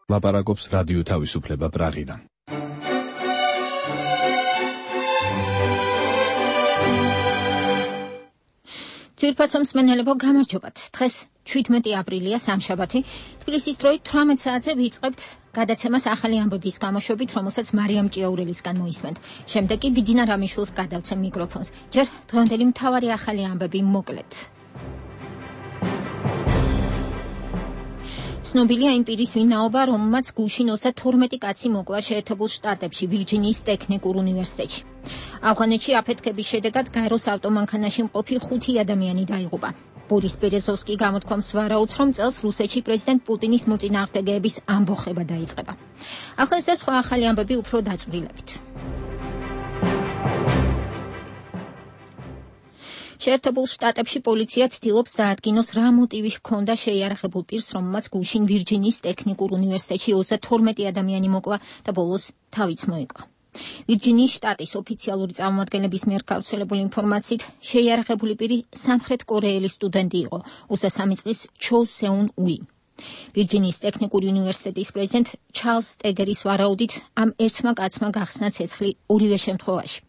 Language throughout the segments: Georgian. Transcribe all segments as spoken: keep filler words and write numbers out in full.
ლაპარაკობს რადიო თავისუფლება პრაღიდან. ძვირფასო მსმენელებო, გამარჯობათ. დღეს შვიდმეტი აპრილია, სამშაბათი. თბილისის დროით თვრამეტ საათზე ვიწყებთ გადაცემას ახალი ამბების გამოშვებით, რომელსაც მარიამ ჭიაურელისგან მოისმენთ. შემდეგ კი ბიძინა რამიშვილს გადავცემ მიკროფონს. ჯერ დღევანდელი მთავარი ახალი ამბები მოკლედ. ცნობილია იმ პირის ვინაობა, რომელმაც გუშინ ოცდათორმეტი კაცი მოკლა შეერთებულ შტატებში, ვირჯინიის ტექნიკურ უნივერსიტეტში. ავღანეთში აფეთქების შედეგად გაეროს ავტომანქანაში მყოფი ხუთი ადამიანი დაიღუპა. ბორის ბერეზოვსკი გამოთქვამს ვარაუდს, რომ წელს რუსეთში პრეზიდენტ პუტინის მოწინააღმდეგეების ამბოხება დაიწყება. ახლა ეს და სხვა ახალი ამბები უფრო დაწვრილებით. შეერთებულ შტატებში პოლიცია ცდილობს დაადგინოს, რა მოტივი ჰქონდა შეიარაღებულ პირს, რომელმაც გუშინ ვირჯინიის ტექნიკურ უნივერსიტეტში ოცდათორმეტი ადამიანი მოკლა და ბოლოს თავიც მოიკლა. ვირჯინიის შტატის ოფიციალური წარმომადგენლების მიერ გავრცელებული ინფორმაციით, შეიარაღებული პირი სამხრეთ კორეელი სტუდენტი იყო, ოცდასამი წლის ჩო სეუნ უი. ვირჯინიის ტექნიკური უნივერსიტეტის პრეზიდენტ ჩარლზ სტეგერის ვარაუდით, ამ ერთმა კაცმა გახსნა ცეცხლი ორივე შემთხვევაში.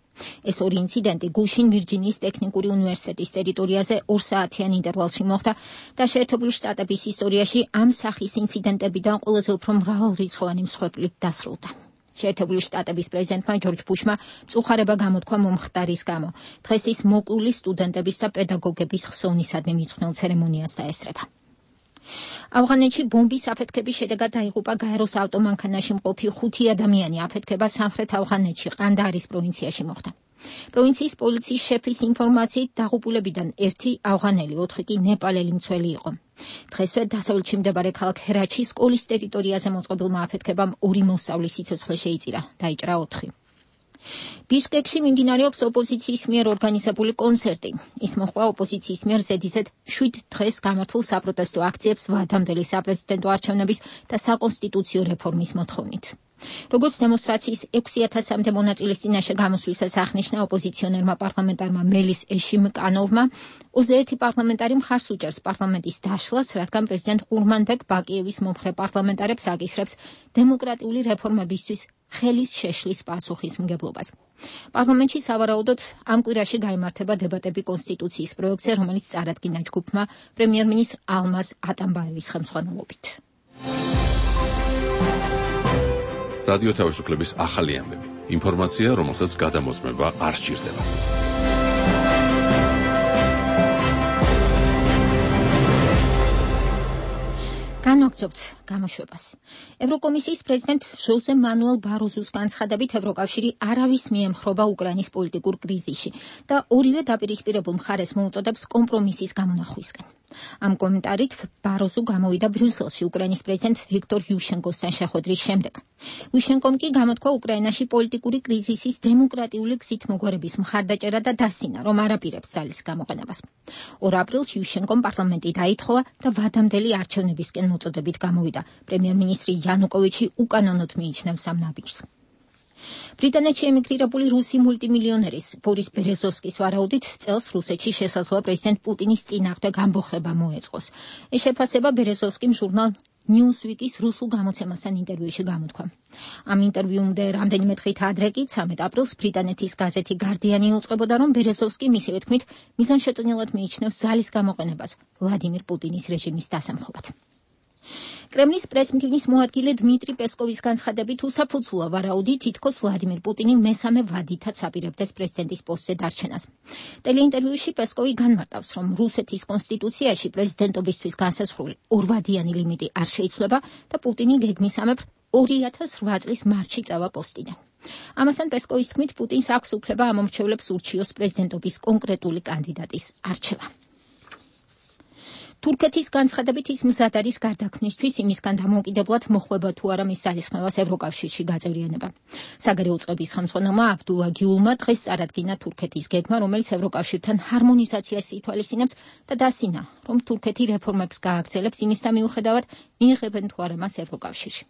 ეს ორი ინციდენტი გუშინ ვირჯინიის ტექნიკური უნივერსიტეტის ტერიტორიაზე ორ საათიან ინტერვალში მოხდა და შეერთებული შტატების ისტორიაში ამ სახის ინციდენტებიდან ყველაზე უფრო მრავალრიცხოვანი მსხვერპლით დასრულდა. შეერთებული შტატების პრეზიდენტმა ჯორჯ ბუშმა მწუხარება გამოთქვა მომხდარის გამო. დღეს ის მოკლული სტუდენტების და პედაგოგების ხსოვნისადმი მიძღვნილ ცერემონიას დაესწრება. ავღანეთში ბომბის აფეთქების შედეგად დაიღუპა გაეროს ავტომანქანაში მყოფი ხუთი ადამიანი. აფეთქება სამხრეთ ავღანეთში, ყანდაარის პროვინციაში მოხდა. პროვინციის პოლიციის შეფის ინფორმაციით, დაღუპულებიდან ერთი ავღანელი, ოთხი კი ნეპალელი მცველი იყო. დღესვე დასავლეთში მდებარე ქალაქ ჰერათში სკოლის ტერიტორიაზე მოწყობილმა აფეთქებამ ორი მოსწავლის სიცოცხლე შეიწირა, დაიჭრა ოთხი. ბიშკეკში მიმდინარეობს ოპოზიციის მიერ ორგანიზებული კონცერტი. ის მოჰყვა ოპოზიციის მიერ ზედიზედ შვიდ დღეს გამართულ საპროტესტო აქციებს ვადამდელი საპრეზიდენტო არჩევნების და საკონსტიტუციო რეფორმის მოთხოვნით. როგორც დემონსტრაციის ექვსი ათასამდე მონაწილის წინაშე გამოსვლისას აღნიშნა ოპოზიციონერმა პარლამენტარმა მელის ეშიმკანოვმა, ოცდაერთი პარლამენტარი მხარს უჭერს პარლამენტის დაშლას, რადგან პრეზიდენტ ყურმანბეკ ბაკიევის მომხრე პარლამენტარებს აკისრებს დემოკრატიული რეფორმებისთვის ხელის შეშლის პასუხისმგებლობას. პარლამენტში სავარაუდოდ ამ კვირაში გაიმართება დებატები კონსტიტუციის პროექტზე, რომელიც წარადგინა ჯგუფმა პრემიერ-მინისტრ ალმაზ ატამბაევის ხელმძღვანელობით. რადიო თავისუფლების ახალი ამბები. ინფორმაცია, რომელსაც გადამოწმება არ სჭირდება. განვაგრძობთ გამოშვებას. ევროკომისიის პრეზიდენტ ჟოზე მანუელ ბაროზუს განცხადებით, ევროკავშირი არავის მიემხრობა უკრაინის პოლიტიკურ კრიზისში და ორივე დაპირისპირებულ მხარეს მოუწოდებს კომპრომისის გამონახვისკენ. ამ კომენტარით ბაროზუ გამოვიდა ბრიუსელში უკრაინის პრეზიდენტ ვიქტორ იუშენკოსთან შეხვედრის შემდეგ. იუშენკომ კი გამოთქვა უკრაინაში პოლიტიკური კრიზისის დემოკრატიული გზით მოგვარების მხარდაჭერა და დასინა, რომ არ აპირებს ძალის გამოყენებას. ორ აპრილს იუშენკომ პარლამენტი დაითხოვა და ვადამდელი არჩევნებისკენ მოწოდებით გამოვიდა. პრემიერ-მინისტრი იანუკოვიჩი უკანონოდ მიიჩნევს ამ ნაბიჯს. ბრიტანეთში ემიგრირებული რუსი მულტიმილიონერის ბორის ბერეზოვსკის ვარაუდით, წელს რუსეთში შესაძლოა პრეზიდენტ პუტინის წინააღმდეგ ამბოხება მოეწყოს. ეს შეფასება ბერეზოვსკიმ ჟურნალ ნიუსვიკის რუსულ გამოცემასთან ინტერვიუში გამოთქვა. ამ ინტერვიუმდე რამდენიმე დღით ადრე კი, ცამეტ აპრილს, ბრიტანეთის გაზეთი გარდიანი უწყებოდა, რომ ბერეზოვსკი მისივე თქმით მიზანშეწონილად მიიჩნევს ძალის გამოყენებას ვლადიმირ პუტინის რეჟიმის დასამხობად. კრემლის პრესმდივნის მოადგილე დმიტრი პესკოვის განცხადებით, უსაფუძვლა ვარაუდი, თითქოს ვლადიმირ პუტინი მესამე ვადითაც აპირებდეს პრეზიდენტის პოსტზე დარჩენას. ტელეინტერვიუში პესკოვი განმარტავს, რომ რუსეთის კონსტიტუციაში პრეზიდენტობისთვის განსაზღვრული ორვადიანი ლიმიტი არ შეიცვლება და პუტინი გეგმისამებრ ორი ათას რვა წლის მარტში წავა პოსტიდან. ამასთან პესკოვის თქმით, პუტინს აქვს უფლება ამომრჩევლებს ურჩიოს პრეზიდენტობის კონკრეტული კანდიდატის არჩევა. თურქეთის განცხადებით ის მზად არის გარდაქმნისთვის იმისგან დამოუკიდებლად მოხვება თუ არა მის ძალისხმევას ევროკავშირში გაწევრიანება. საგარეო წყობის ხელმძღვანელმა აბდულა გიულმა დღეს წარადგინა თურქეთის გეგმა, რომელიც ევროკავშირთან ჰარმონიზაციას ითვალისწინებს და დასინა, რომ თურქეთი რეფორმებს გააგრძელებს იმისთა მიუხედავად მიიღებენ თუ არა მას ევროკავშირში.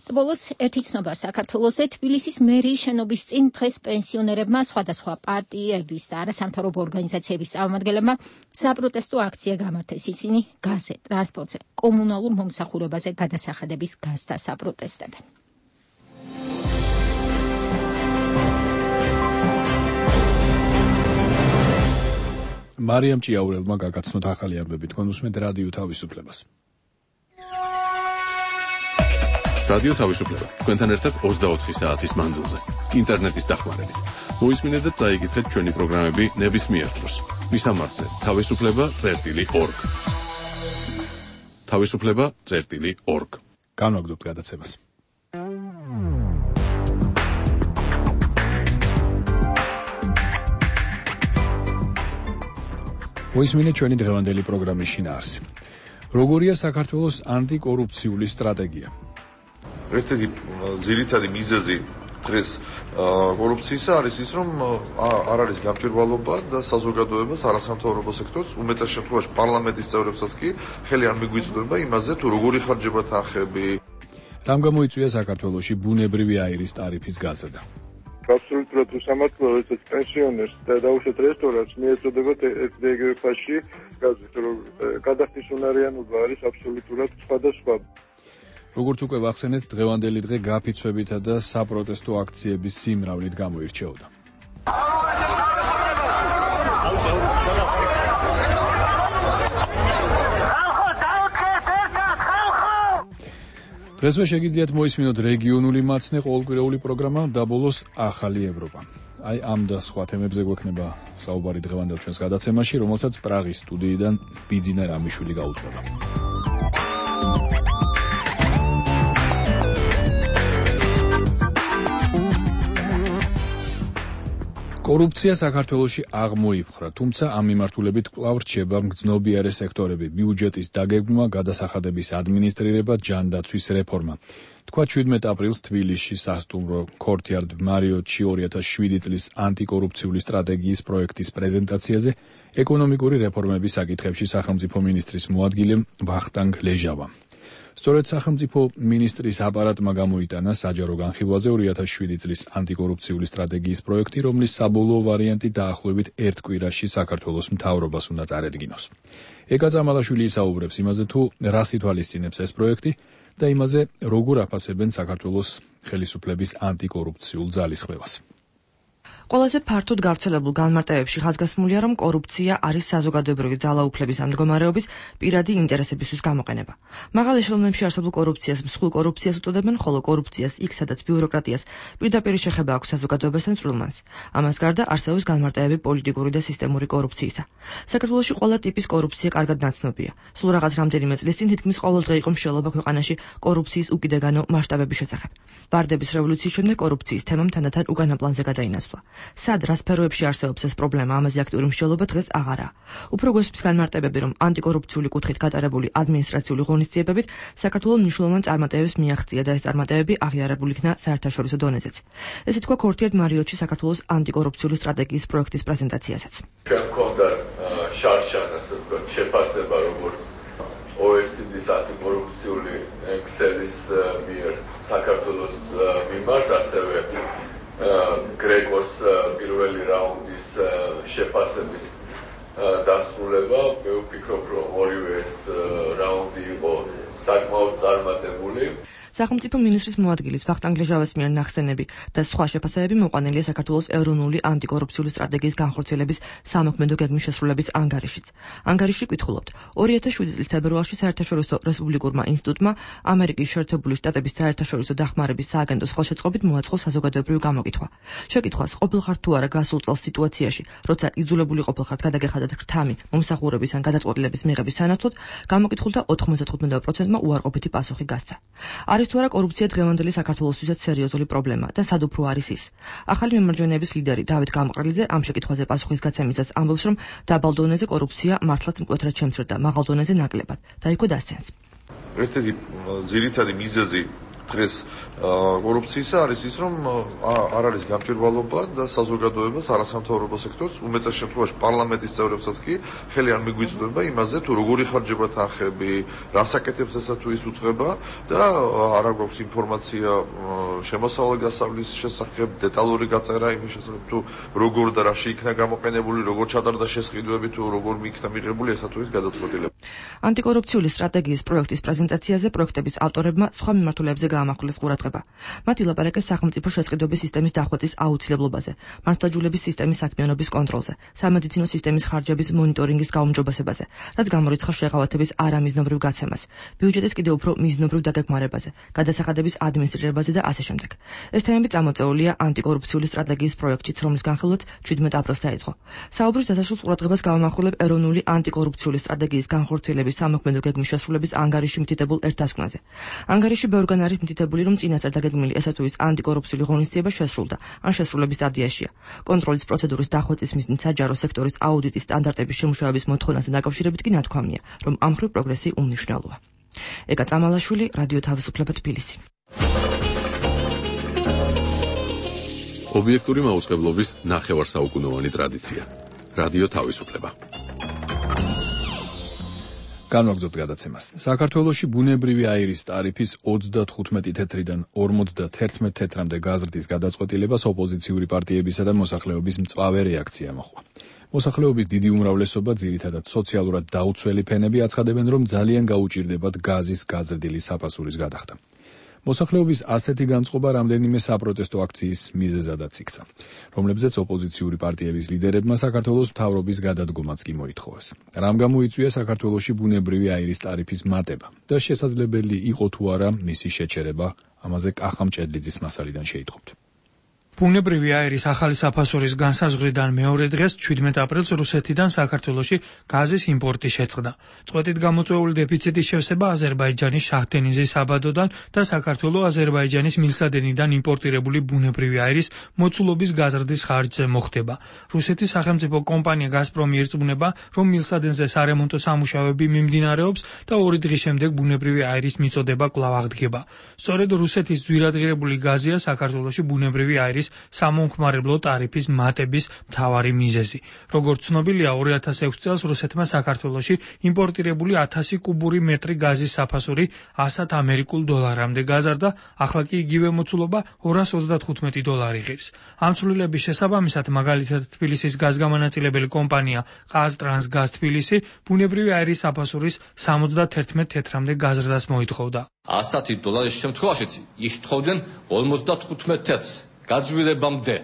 და ბოლოს ერთი ცნობა საქართველოსზე. თბილისის მერიის შენობის წინ დღეს პენსიონერებმა სხვადასხვა პარტიების და არასამთავრობო ორგანიზაციების წარმომადგენლებმა საპროტესტო აქცია გამართეს. ისინი გაზზე, ტრანსპორტზე, კომუნალურ მომსახურებაზე გადასახადების გაზთა საპროტესტებენ. მარიამ ჭიაურელმა გაგაცნოთ ახალი ამბები. თქვენ უსმენთ რადიო თავისუფლებას. რადიო თავისუფლება. თქვენთან ერთად ოცდაოთხი საათის მანძილზე. ინტერნეტის დახმარებით. მოისმინეთ და წაიკითხეთ ჩვენი პროგრამები ნებისმიერ დროს. მისამართზე თავისუფლება წერტილი ორგ. თავისუფლება წერტილი ორგ. განვაგრძობთ გადაცემას. მოისმინეთ ჩვენი დღევანდელი პროგრამის შინაარსი. როგორია საქართველოს ანტიკორუფციული სტრატეგია? ერთ-ერთი ძირითადი მიზეზი დღეს კორუფციისა არის ის, რომ არ არის გამჭვირვალობა და საზოგადოებას, არასამთავრობო სექტორს, უმეტეს შემთხვევაში პარლამენტის წევრებსაც კი ხელი არ მიგვიწვდება იმაზე, თუ როგორი ხარჯება თანხები. რამ გამოიწვია საქართველოში ბუნებრივი აირის ტარიფის გაზრდა? აბსოლუტურად უსამართლოა, როდესაც პენსიონერს და დაუშვათ რესტორანს მიეწოდებათ ეგრევე ფასში გაზი, რომ გადახდის უნარიანობა არის აბსოლუტურად სხვადასხვა. როგორც უკვე ვახსენეთ, დღევანდელი დღე გაფიცვებითა და საპროტესტო აქციების სიმრავლით გამოირჩეოდა. დღესვე შეგიძლიათ მოისმინოთ რეგიონული მაცნე ყოველკვირეული პროგრამა და ბოლოს ახალი ევროპა. აი ამ და სხვა თემებზე გვექნება საუბარი დღევანდელ ჩვენს გადაცემაში, რომელსაც პრაღის სტუდიიდან ბიძინა რამიშვილი გაუძღვება. კორუფცია საქართველოში აღმოიფხვრა, თუმცა ამ მიმართულებით კვლავ რჩება მგრძნობიარე სექტორები, ბიუჯეტის დაგეგმვა, გადასახადების ადმინისტრირება, ჯანდაცვის რეფორმა. თქვა შვიდმეტ აპრილს თბილისში სასტუმრო Courtyard Marriott-ში ორი ათას შვიდი წლის ანტიკორუფციული სტრატეგიის პროექტის პრეზენტაციაზე ეკონომიკური რეფორმების საკითხებში სახელმწიფო მინისტრის მოადგილე ვახტანგ ლეჟავა. სწორედ სახელმწიფო მინისტრის აპარატმა გამოიტანა საჯარო განხილვაზე ორი ათას შვიდი წლის ანტიკორუფციული სტრატეგიის პროექტი, რომლის საბოლოო ვარიანტი დაახლოებით ერთ კვირაში საქართველოს მთავრობას უნდა წარედგინოს. ეკა წამალაშვილი ისაუბრებს იმაზე, თუ რას ითვალისწინებს ეს პროექტი და იმაზე, როგორ აფასებენ საქართველოს ხელისუფლების ანტიკორუფციულ ძალისხმევას. ყველაზე ფართოდ გავრცელებულ განმარტებებში ხაზგასმულია, რომ კორუფცია არის საზოგადოებრივი ძალაუფლების ამ მდგომარეობის პირადი ინტერესებისთვის გამოყენება. მაღალ ეშელონებში არსებულ კორუფციას მსხვილ კორუფციას უწოდებენ, ხოლო კორუფციას იქ, სადაც ბიუროკრატიას პირდაპირ შეხება აქვს საზოგადოებასთან წვრილმანს. ამას გარდა არსებობს განმარტებები პოლიტიკური და სისტემური კორუფციისა. საქართველოში ყველა ტიპის კორუფცია კარგად ნაცნობია. სულ რაღაც რამდენიმე წლის წინ თითქმის ყოველდღე იყო მსჯელობა ქვეყანაში კორუფციის უკიდეგანო მასშტაბების შესახებ. ვარდების რევოლუციის შემდეგ კორუფციის თემამ თანდათან უკანა პლანზე გადაინაცვლა. სად რა სფეროებში არსებობს ეს პრობლემა, ამაზე აქტიური მსჯელობა დღეს აღარაა. უფრო გვესმის განმარტებები, რომ ანტიკორუფციული კუთხით გატარებული ადმინისტრაციული ღონისძიებებით საქართველოს მნიშვნელოვან წარმატებებს მიაღწია და ეს წარმატებები აღიარებული იქნა საერთაშორისო დონეზეც. ესე თქვა Courtyard Marriott-ში საქართველოს ანტიკორუფციული სტრატეგიის პროექტის პრეზენტაციაზეც. ჩვენ გვქონდა შარშან, ასე ვთქვათ, შეფასება, როგორც ო ე სი დის ანტიკორუფციული ქსელის მიერ საქართველოს მიმართ, ასევე გრეკოს პირველი რაუნდის შეფასების დასრულება. მე ვფიქრობ, რომ ორივე ეს რაუნდი იყო საკმაოდ წარმატებული. სახელმწიფო მინისტრის მოადგილის ვახტანგ ლეჟავას მიერ ნახსენები და სხვა შეფასებები მოყვანილია საქართველოს ეროვნული ანტიკორუფციული სტრატეგიის განხორციელების სამოქმედო გეგმის შესრულების ანგარიშიც. ანგარიში კითხულობთ. ორი ათას შვიდი წლის თებერვალში საერთაშორისო რესპუბლიკურმა ინსტიტუტმა ამერიკის შეერთებული შტატების საერთაშორისო დახმარების სააგენტოს ხელშეწყობით მოაწყო საზოგადოებრივი გამოკითხვა. შეკითხვას ყოფილხარ თუ არა გასულ წელს სიტუაციაში, როცა იძულებული ყოფილხართ გადაგეხადათ რთამი მომსახურების ან გადაწყვეტილების მიღების სანაცვლოდ, გამოკითხულთა ოთხმოცდათხუთმეტ პროცენტმა უარყოფითი პასუხი გასცა. არის თუ არა კორუფცია დღევანდელი საქართველოსთვისაც სერიოზული პრობლემა და სად უფრო არის ის? ახალი მემარჯვენეების ლიდერი დავით გამყრელიძე ამ შეკითხვაზე პასუხის გაცემისას ამბობს, რომ დაბალ დონეზე კორუფცია მართლაც მკვეთრად შემცირდა, მაღალ დონეზე ნაკლებად და იქო დასცენს. ერთ-ერთი ძირითადი მიზეზი დღეს კორუფციისა არის ის, რომ არ არის გამჭვირვალობა და საზოგადოებას, არასამთავრობო სექტორს, უმეტეს შემთხვევაში პარლამენტის წევრებსაც კი ხელი არ მიგვიწვდება იმაზე, თუ როგორი ხარჯება თანხები, რა საკეთებს ესა თუ ის უწყება და არ აქვს ინფორმაცია შემოსავლე გასავლის შესახებ, დეტალური გაწერა იმის შესახებ, თუ როგორ და რაში იქნა გამოყენებული, როგორ ჩატარდა შესყიდვები, თუ როგორ იქნა მიღებული ესა თუ ის გადაწყვეტილება. ანტიკორუფციული სტრატეგიის პროექტის პრეზენტაციაზე პროექტების ავტორებმა სხვა მიმართულებზე გაამახვილეს ყურადღება. მათ ილაპარაკეს სახელმწიფო შესყიდვების სისტემის დახვეწის აუცილებლობაზე, მართლმსაჯულების სისტემის საქმიანობის კონტროლზე, სამედიცინო სისტემის ხარჯების მონიტორინგის გაუმჯობესებაზე, რაც გამორიცხავს შეღავათების არამიზნობრივ გაცემას, ბიუჯეტის კიდევ უფრო მიზნობრივ დაგეგმარებაზე, გადასახადების ადმინისტრირებაზე და ასე შემდეგ. ეს თემები წამოწეულია ანტიკორუფციული სტრატეგიის პროექტშიც, რომლის განხილვაც შვიდმეტ აპრილს დაიწყო. საუბრის დასასრულს ყურადღებას გავამახვილებ ეროვნული ანტიკორუფციული სტრატეგიის განხორციელების სამოქმედო გეგმის შესრულების ანგარიში მითითებულ ერთთასკვნაზე. ანგარიში ბევრგან არის მითითებული, რომ წინასწარ დაგეგმილი ესა თუ ის ანტიკორუფციული ღონისძიება შესრულდა, ან შესრულების სტადიაშია. კონტროლის პროცედურის დახვეწის მიზნით საჯარო სექტორის აუდიტის სტანდარტების შემუშავების მოთხოვნაზე დაკავშირებით კი ნათქვამია, რომ ამ მხრივ პროგრესი უმნიშვნელოა. ეკა წამალაშვილი, რადიო თავისუფლება თბილისი. ობიექტური მაუწყებლობის ნახევარსაუკუნოვანი ტრადიცია. რადიო თავისუფლება. განვაგრძობთ გადაცემას. საქართველოში ბუნებრივი აირის ტარიფის ოცდათხუთმეტი თეთრიდან ორმოცდაათი თეთრამდე გაზრდის გადაწყვეტილებას ოპოზიციური პარტიებისა და მოსახლეობის მწვავე რეაქცია მოჰყვა. მოსახლეობის დიდი უმრავლესობა, ძირითადად სოციალურად დაუცველი ფენები, აცხადებენ, რომ ძალიან გაუჭირდებათ გაზის გაზრდილი საფასურის გადახდა. მოსახლეობის ასეთი განწყობა რამდენიმე საპროტესტო აქციის მიზეზადაც იქცა, რომლებზეც ოპოზიციური პარტიების ლიდერებმა საქართველოს მთავრობის გადადგომაც კი მოითხოვეს. რამ გამოიწვია საქართველოში ბუნებრივი აირის ტარიფის მატება და შესაძლებელი იყო თუ არა მისი შეჩერება, ამაზე კახა მჭედლიძის მასალიდან შეიტყობთ. ბუნებრივი აირის ახალი საფასურის განსაზღვრიდან მეორე დღეს შვიდმეტ აპრილს რუსეთიდან საქართველოში გაზის იმპორტი შეწყდა. წვეტით გამოწვეული დეფიციტის შევსება აზერბაიჯანის შაჰდენიზის საბადოდან და საქართველოს აზერბაიჯანის მილსადენიდან იმპორტირებული ბუნებრივი აირის მოცულობის გაზრდის ხარჯზე მოხდება. რუსეთის სახელმწიფო კომპანია გაზპრომი ირწმუნება, რომ მილსადენზე სარემონტო სამუშაოები მიმდინარეობს და ორი დღის შემდეგ ბუნებრივი აირის მიწოდება კვლავ აღდგება. სწორედ რუსეთის ძვირადღირებული გაზია საქართველოში ბუნებრივი აირის სამომხმარებლო ტარიფის მატების მთავარი მიზეზი. როგორც ცნობილია, ორი ათას ექვსი წელს რუსეთმა საქართველოში იმპორტირებული ათასი კუბური მეტრი გაზის საფასური ასად ამერიკულ დოლარამდე გაზარდა, ახლა კი იგივე მოცულობა ორას ოცდათხუთმეტი დოლარი ღირს. ამ ცვლილების შესაბამისად, მაგალითად თბილისის გაზგამანაწილებელი კომპანია ყაზტრანსგაზ თბილისი ბუნებრივი აირის საფასურის სამოცდაათი თეთრამდე გაზრდას მოითხოვდა. ასი დოლარის შემთხვევაშიც იხთხოვდნენ ორმოცდათხუთმეტ თეთრს. გაძვირებამდე.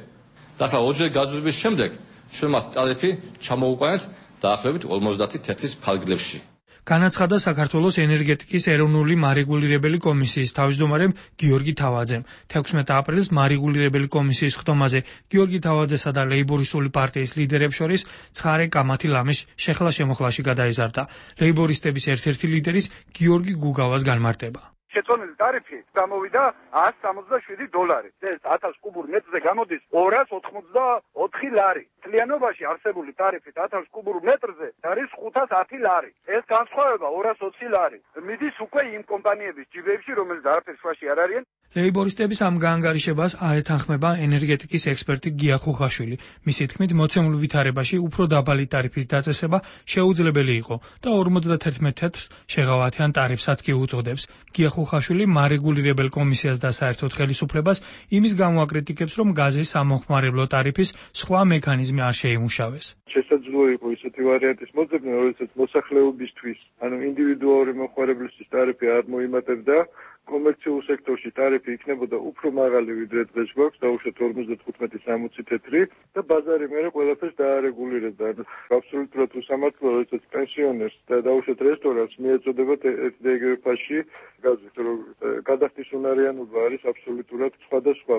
და ახლა ორჯერ გაძვირების შემდეგ ჩვენ მათ ტარიფი ჩამოუყენეთ დაახლოებით ორმოცდაათი თეთრის ფარგლებში. განაცხადა საქართველოს ენერგეტიკის ეროვნული მარეგულირებელი კომისიის თავმჯდომარემ გიორგი თავაძემ. თექვსმეტ აპრილს მარეგულირებელი კომისიის ხდომაზე გიორგი თავაძესა და ლეიბორისტული პარტიის ლიდერებს შორის ცხარე კამათი ლამის შეხლა-შემოხლაში გადაიზარდა. ლეიბორისტების ერთ-ერთი ლიდერის გიორგი გუგავას განმარტება. შეწონილი ტარიფი გამოვიდა ასი სამოცდაშვიდი დოლარი. ეს ათას კუბურ მეტრზე გამოდის ორას ოთხმოცდაოთხი ლარი. მთლიანობაში არსებული ტარიფით ათას კუბურ მეტრზე არის ხუთას ათი ლარი. ეს განსხვავება ორას ოცი ლარი. მიდის უკვე იმ კომპანიების ჯიბეებში, რომელიც არაფერს სხვაში არ არიან. ლეიბორისტების ამ გაანგარიშებას აეთანხმება ენერგეტიკის ექსპერტი გია ხუხაშვილი. მისი თქმით, მოცემულ ვითარებაში უფრო დაბალი ტარიფის დაწესება შეუძლებელი იყო და ორმოცდაათი თეთრს შეღავათიან ტარიფსაც კი უწოდებს. გია ხუხაშვილი მარეგულირებელ კომისიას და საერთოდ ხელისუფლებას იმის გამო აკრიტიკებს, რომ გაზის სამომხმარებლო ტარიფის სხვა მექანიზმი არ შეიმუშავეს. შესაძლოა იყო ისეთი ვარიანტის მოძებნა, როდესაც მოსახლეობისთვის, ანუ ინდივიდუალური მომხმარებლისთვის ტარიფი არ მოიმატებდა, კომერციულ სექტორში ტარიფი იქნებოდა უფრო მაღალი, ვიდრე დღეს გვაქვს, დაუშვათ ორმოცდათხუთმეტი სამოცი თეთრი და ბაზარი მერე ყველაფერს დაარეგულირებდა. აბსოლუტურად უსამართლოა, როდესაც პენსიონერს და დაუშვათ რესტორანს მიეწოდებათ ერთ და იგივე ფასში გაზით, რომ გადახდის უნარიანობა არის აბსოლუტურად სხვადასხვა.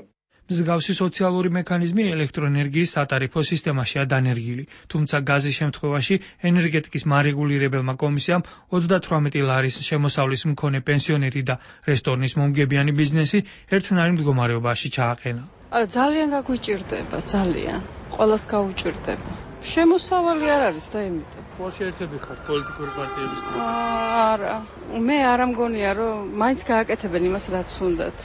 მსგავსი სოციალური მექანიზმი ელექტროენერგიის სატარიფო სისტემაშია დანერგილი, თუმცა გაზის შემთხვევაში ენერგეტიკის მარეგულირებელმა კომისიამ ოცდათვრამეტი ლარის შემოსავლის მქონე პენსიონერი და რესტორნის მომგებიანი ბიზნესი ერთნაირ მდგომარეობაში ჩააყენა. არა, ძალიან გაგვიჭირდება, ძალიან. ყველას გაუჭირდება. შემოსავალი არ არის და იმიტომ. ყოველში ერთები ხართ პოლიტიკური პარტიების არა, მე არ ამგონია რომ მაინც გააკეთებენ იმას რაც უნდათ.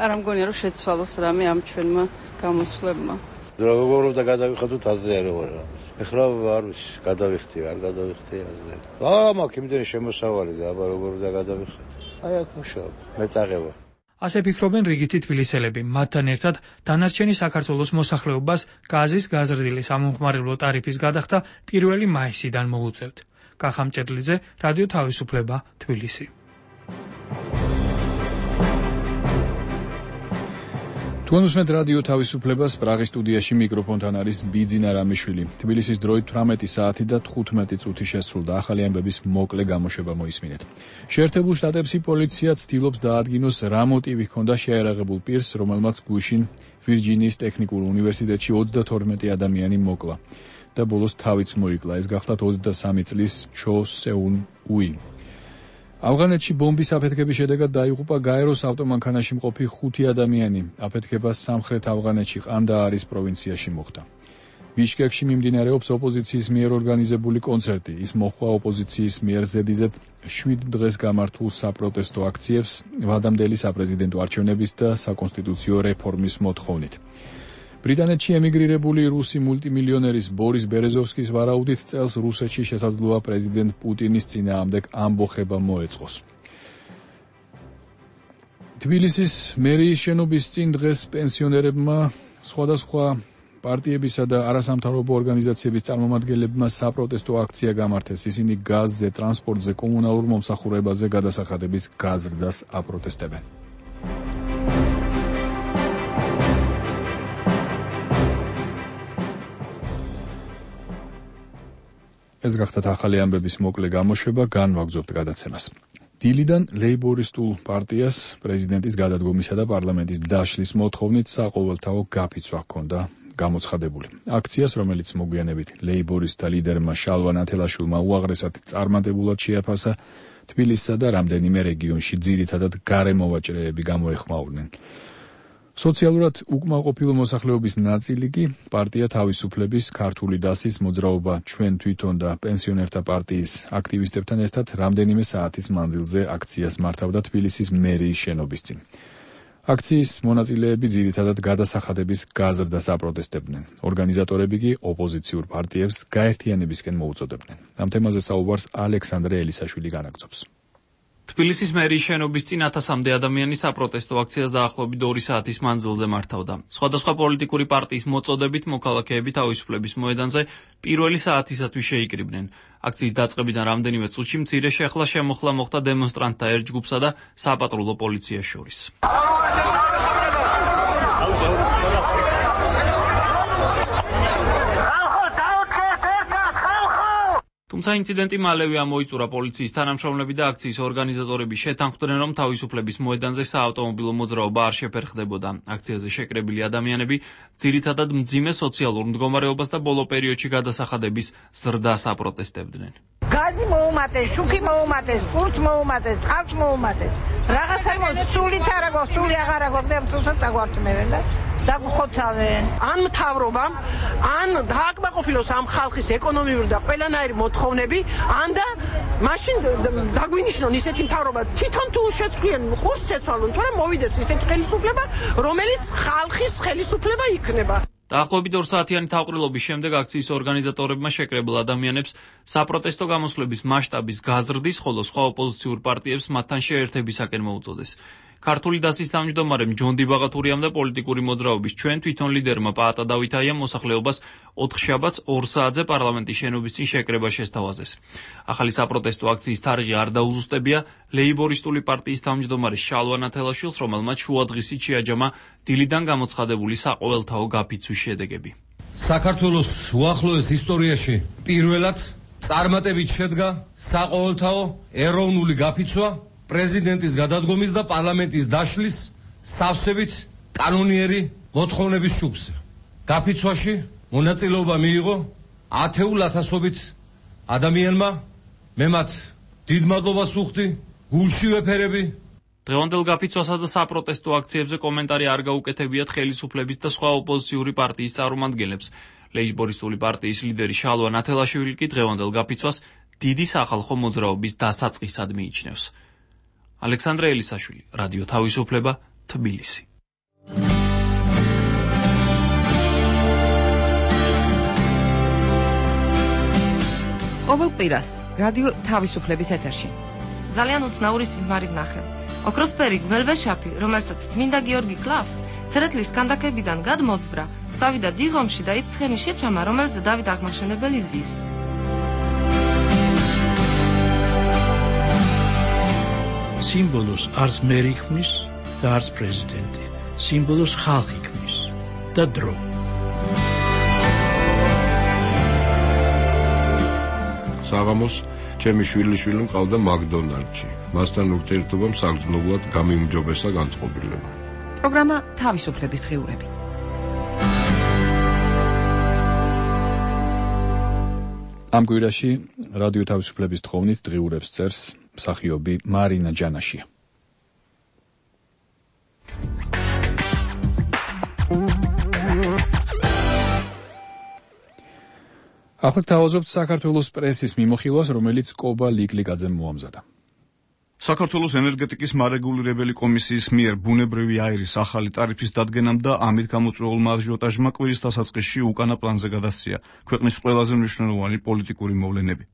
არ ამგონია რომ შეცვალოს რამე ამ ჩვენმა გამოსვლებმა. როგორ და გადავიხადოთ აზრი არ ვარ. ეხლა არ ვიცი, გადავიხდი, არ გადავიხდი აზრი. აა მაგ იმდენი შემოსავალი და აბა როგორ და გადავიხადო. აი აქ მუშაობ, მეწაღება. ასე ფიქრობენ რიგითი თბილისელები. მათთან ერთად დანარჩენი საქართველოს მოსახლეობას გაზის გაზრდილი სამომხმარებლო ტარიფის გადახდა პირველი მაისიდან მოუწევთ. კახამჭედლიძე, რადიო თავისუფლება, თბილისი. თქვენ უსმენთ რადიო თავისუფლებას, პრაღის სტუდიაში მიკროფონთან არის ბიძინა რამიშვილი. თბილისის დროით თვრამეტი საათი და თხუთმეტი წუთი შესრულდა. ახალი ამბების მოკლე გამოშვება მოისმინეთ. შეერთებულ შტატებში პოლიცია ცდილობს დაადგინოს რა მოტივი ჰქონდა შეიარაღებულ პირს, რომელმაც გუშინ ვირჯინიის ტექნიკურ უნივერსიტეტში ოცდათორმეტი ადამიანი მოკლა და ბოლოს თავიც მოიკლა. ეს გახლავთ ოცდასამი წლის ჩო სეუნ უი. ავღანეთში ბომბის აფეთქების შედეგად დაიღუპა გაეროს ავტომანქანაში მყოფი ხუთი ადამიანი. აფეთქება სამხრეთ ავღანეთში ყანდაარის პროვინციაში მოხდა. ბიშკეკში მიმდინარეობს ოპოზიციის მიერ ორგანიზებული კონცერტი. ის მოჰყვა ოპოზიციის მიერ ზედიზედ შვიდ დღეს გამართულ საპროტესტო აქციებს ვადამდელი საპრეზიდენტო არჩევნების და საკონსტიტუციო რეფორმის მოთხოვნით. ბრიტანეთში ემიგრირებული რუსი მულტიმილიონერის ბორის ბერეზოვსკის ვარაუდით წელს რუსეთში შესაძლოა პრეზიდენტ პუტინის წინააღმდეგ ამბოხება მოეწყოს. თბილისის მერიის შენობის წინ დღეს პენსიონერებმა სხვადასხვა პარტიებისა და არასამთავრობო ორგანიზაციების წარმომადგენლებმა საპროტესტო აქცია გამართეს. ისინი გაზზე, ტრანსპორტზე, კომუნალურ მომსახურებაზე გადასახადების გაზრდას აპროტესტებენ. ეს გახდათ ახალი ამბების მოკლე გამოშვება, განვაგრძობთ გადაცემას. დილიდან ლეიბორისტულ პარტიას პრეზიდენტის გადადგომისა და პარლამენტის დაშლის მოთხოვნით საყოველთაო გაფიცვა ჰქონდა გამოცხადებული. აქციას, რომელიც მოგვიანებით ლეიბორისტთა ლიდერმა შალვა ნათელაშვილმა უაღრესად წარმატებულად შეაფასა, თბილისსა და რამდენიმე რეგიონში ძირითადად გარემოვაჭრეები გამოეხმაურნენ. სოციალურად უკმაყოფილო მოსახლეობის ნაწილი კი პარტია თავისუფლების, ქართული დასის, მოძრაობა ჩვენ თვითონ და პენსიონერთა პარტიის აქტივისტებთან ერთად რამდენიმე საათის მანძილზე აქციას მართავდა თბილისის მერიის შენობის წინ. აქციის მონაწილეები ძირითადად გადასახადების გაზრდას აპროტესტებდნენ. ორგანიზატორები კი ოპოზიციურ პარტიებს გაერთიანებისკენ მოუწოდებდნენ. ამ თემაზე საუბარს ალექსანდრე ელისაშვილი განაგრძობს. თბილისის მერიის შენობის წინ ათასამდე ადამიანი საპროტესტო აქციას დაახლოებით ორი საათის მანძილზე მართავდა. სხვადასხვა პოლიტიკური პარტიის მოწოდებით მოქალაქეები თავისუფლების მოედანზე პირველი საათისათვის შეიკრიბნენ. აქციის დაწყებიდან რამდენიმე წუთში მცირე შეხლა შემოხლა მოხდა დემონსტრანტთა ერთ ჯგუფსა და საპატრულო პოლიციას შორის. თუმცა ინციდენტი მალევე ამოიწურა. პოლიციის თანამშრომლები და აქციის ორგანიზატორები შეთანხმდნენ, რომ თავისუფლების მოედანზე საავტომობილო მოძრაობა არ შეფერხდებოდა. აქციაზე შეკრებილი ადამიანები ძირითადად მძიმე სოციალურ მდგომარეობას და ბოლო პერიოდში გადასახადების ზრდას აპროტესტებდნენ. გაზი მოუმატეს, შუქი მოუმატეს, პურს მოუმატეს, წყალს მოუმატეს. რაღაცა სულით არ აქვს, სული აღარ აქვს და თუნდაც დაგვარწმევენ და დაგხოცავენ. ან მთავრობამ, ან დააკმაყოფილოს ამ ხალხის ეკონომიური და ყველანაირი მოთხოვნები, ან და მაშინ დაგვინიშნონ ისეთი მთავრობა, თვითონ თუ შეცვლიან კურსს შეცვალონ, თორემ მოვიდეს ისეთი ხელისუფლება, რომელიც ხალხის ხელისუფლება იქნება. დაახლოებით ორ საათიანი თავყრილობის შემდეგ აქციის ორგანიზატორებმა შეკრებილ ადამიანებს საპროტესტო გამოსვლების მასშტაბის გაზრდის, ხოლო სხვა ოპოზიციურ პარტიებს მათთან შეერთებისაკენ მოუწოდეს. ქართული დასის თავმჯდომარემ ჯონდი ბაღათურიამ და პოლიტიკური მოძრაობის ჩვენ თვითონ ლიდერმა პაატა დავითაიამ მოსახლეობას ოთხშაბათს ორ საათზე პარლამენტის შენობის წინ შეკრება შესთავაზეს. ახალი საპროტესტო აქციის თარიღი არ დაუზუსტებია ლეიბორისტული პარტიის თავმჯდომარის შალვა ნათელაშვილს, რომელმაც შუადღისით შეაჯამა დილიდან გამოცხადებული საყოველთაო გაფიცვის შედეგები. საქართველოს უახლოეს ისტორიაში პირველად წარმატებით შედგა საყოველთაო ეროვნული გაფიცვა პრეზიდენტის გადადგომის და პარლამენტის დაშლის სავსებით კანონიერი მოთხოვნების შუქზე. გაფიცვაში მონაწილეობა მიიღო ათეულ ათასობით ადამიანმა. მე მათ დიდ მადლობას ვუხდი, გულში ვეფერები. დღევანდელ გაფიცვასა და საპროტესტო აქციებზე კომენტარი არ გაუკეთებიათ ხელისუფლების და სხვა ოპოზიციური პარტიის წარმომადგენლებს. ლეიბორისტული პარტიის ლიდერი შალვა ნათელაშვილი კი დღევანდელ გაფიცვას დიდი სახალხო მოძრაობის დასაწყისად მიიჩნევს. ალექსანდრე ელისაშვილი, რადიო თავისუფლება, თბილისი. ყოველ კვირას რადიო თავისუფლების ეთერში. ძალიან უცნაური სიზმარი ვნახე. ოქროსფერი გველვეშაფი, რომელსაც წმინდა გიორგი კლავს, ცერეთლის კანდაკებიდან გადმოძვრა, წავიდა დიღომში და ის ცხენი შეჩამა, რომელზე დავით აღმაშენებელი ზის. სიმბოლოს არც მერი ქმნის და არც პრეზიდენტი. სიმბოლოს ხალხი ქმნის და დრო. საღამოს ჩემი შვილიშვილი მყავდა მაკდონალდში. მასთან ურთიერთობამ საგრძნობლად გამიმჯობესა განწყობილება. პროგრამა თავისუფლების დღიურები. ამ კვირაში რადიო თავისუფლების თხოვნით დღიურებს წერს მსახიობი მარინა ჯანაშია. ახლა თავაზობთ საქართველოს პრესის მიმოხილვას, რომელიც კობა ლიკლიკაძემ მოამზადა. საქართველოს ენერგეტიკის მარეგულირებელი კომისიის მიერ ბუნებრივი აირის ახალი ტარიფის დადგენამ და ამით გამოწვეულმა აჟიოტაჟმა კვირის დასაწყისში უკანა პლანზე გადასცია ქვეყნის ყველაზე მნიშვნელოვანი პოლიტიკური მოვლენები.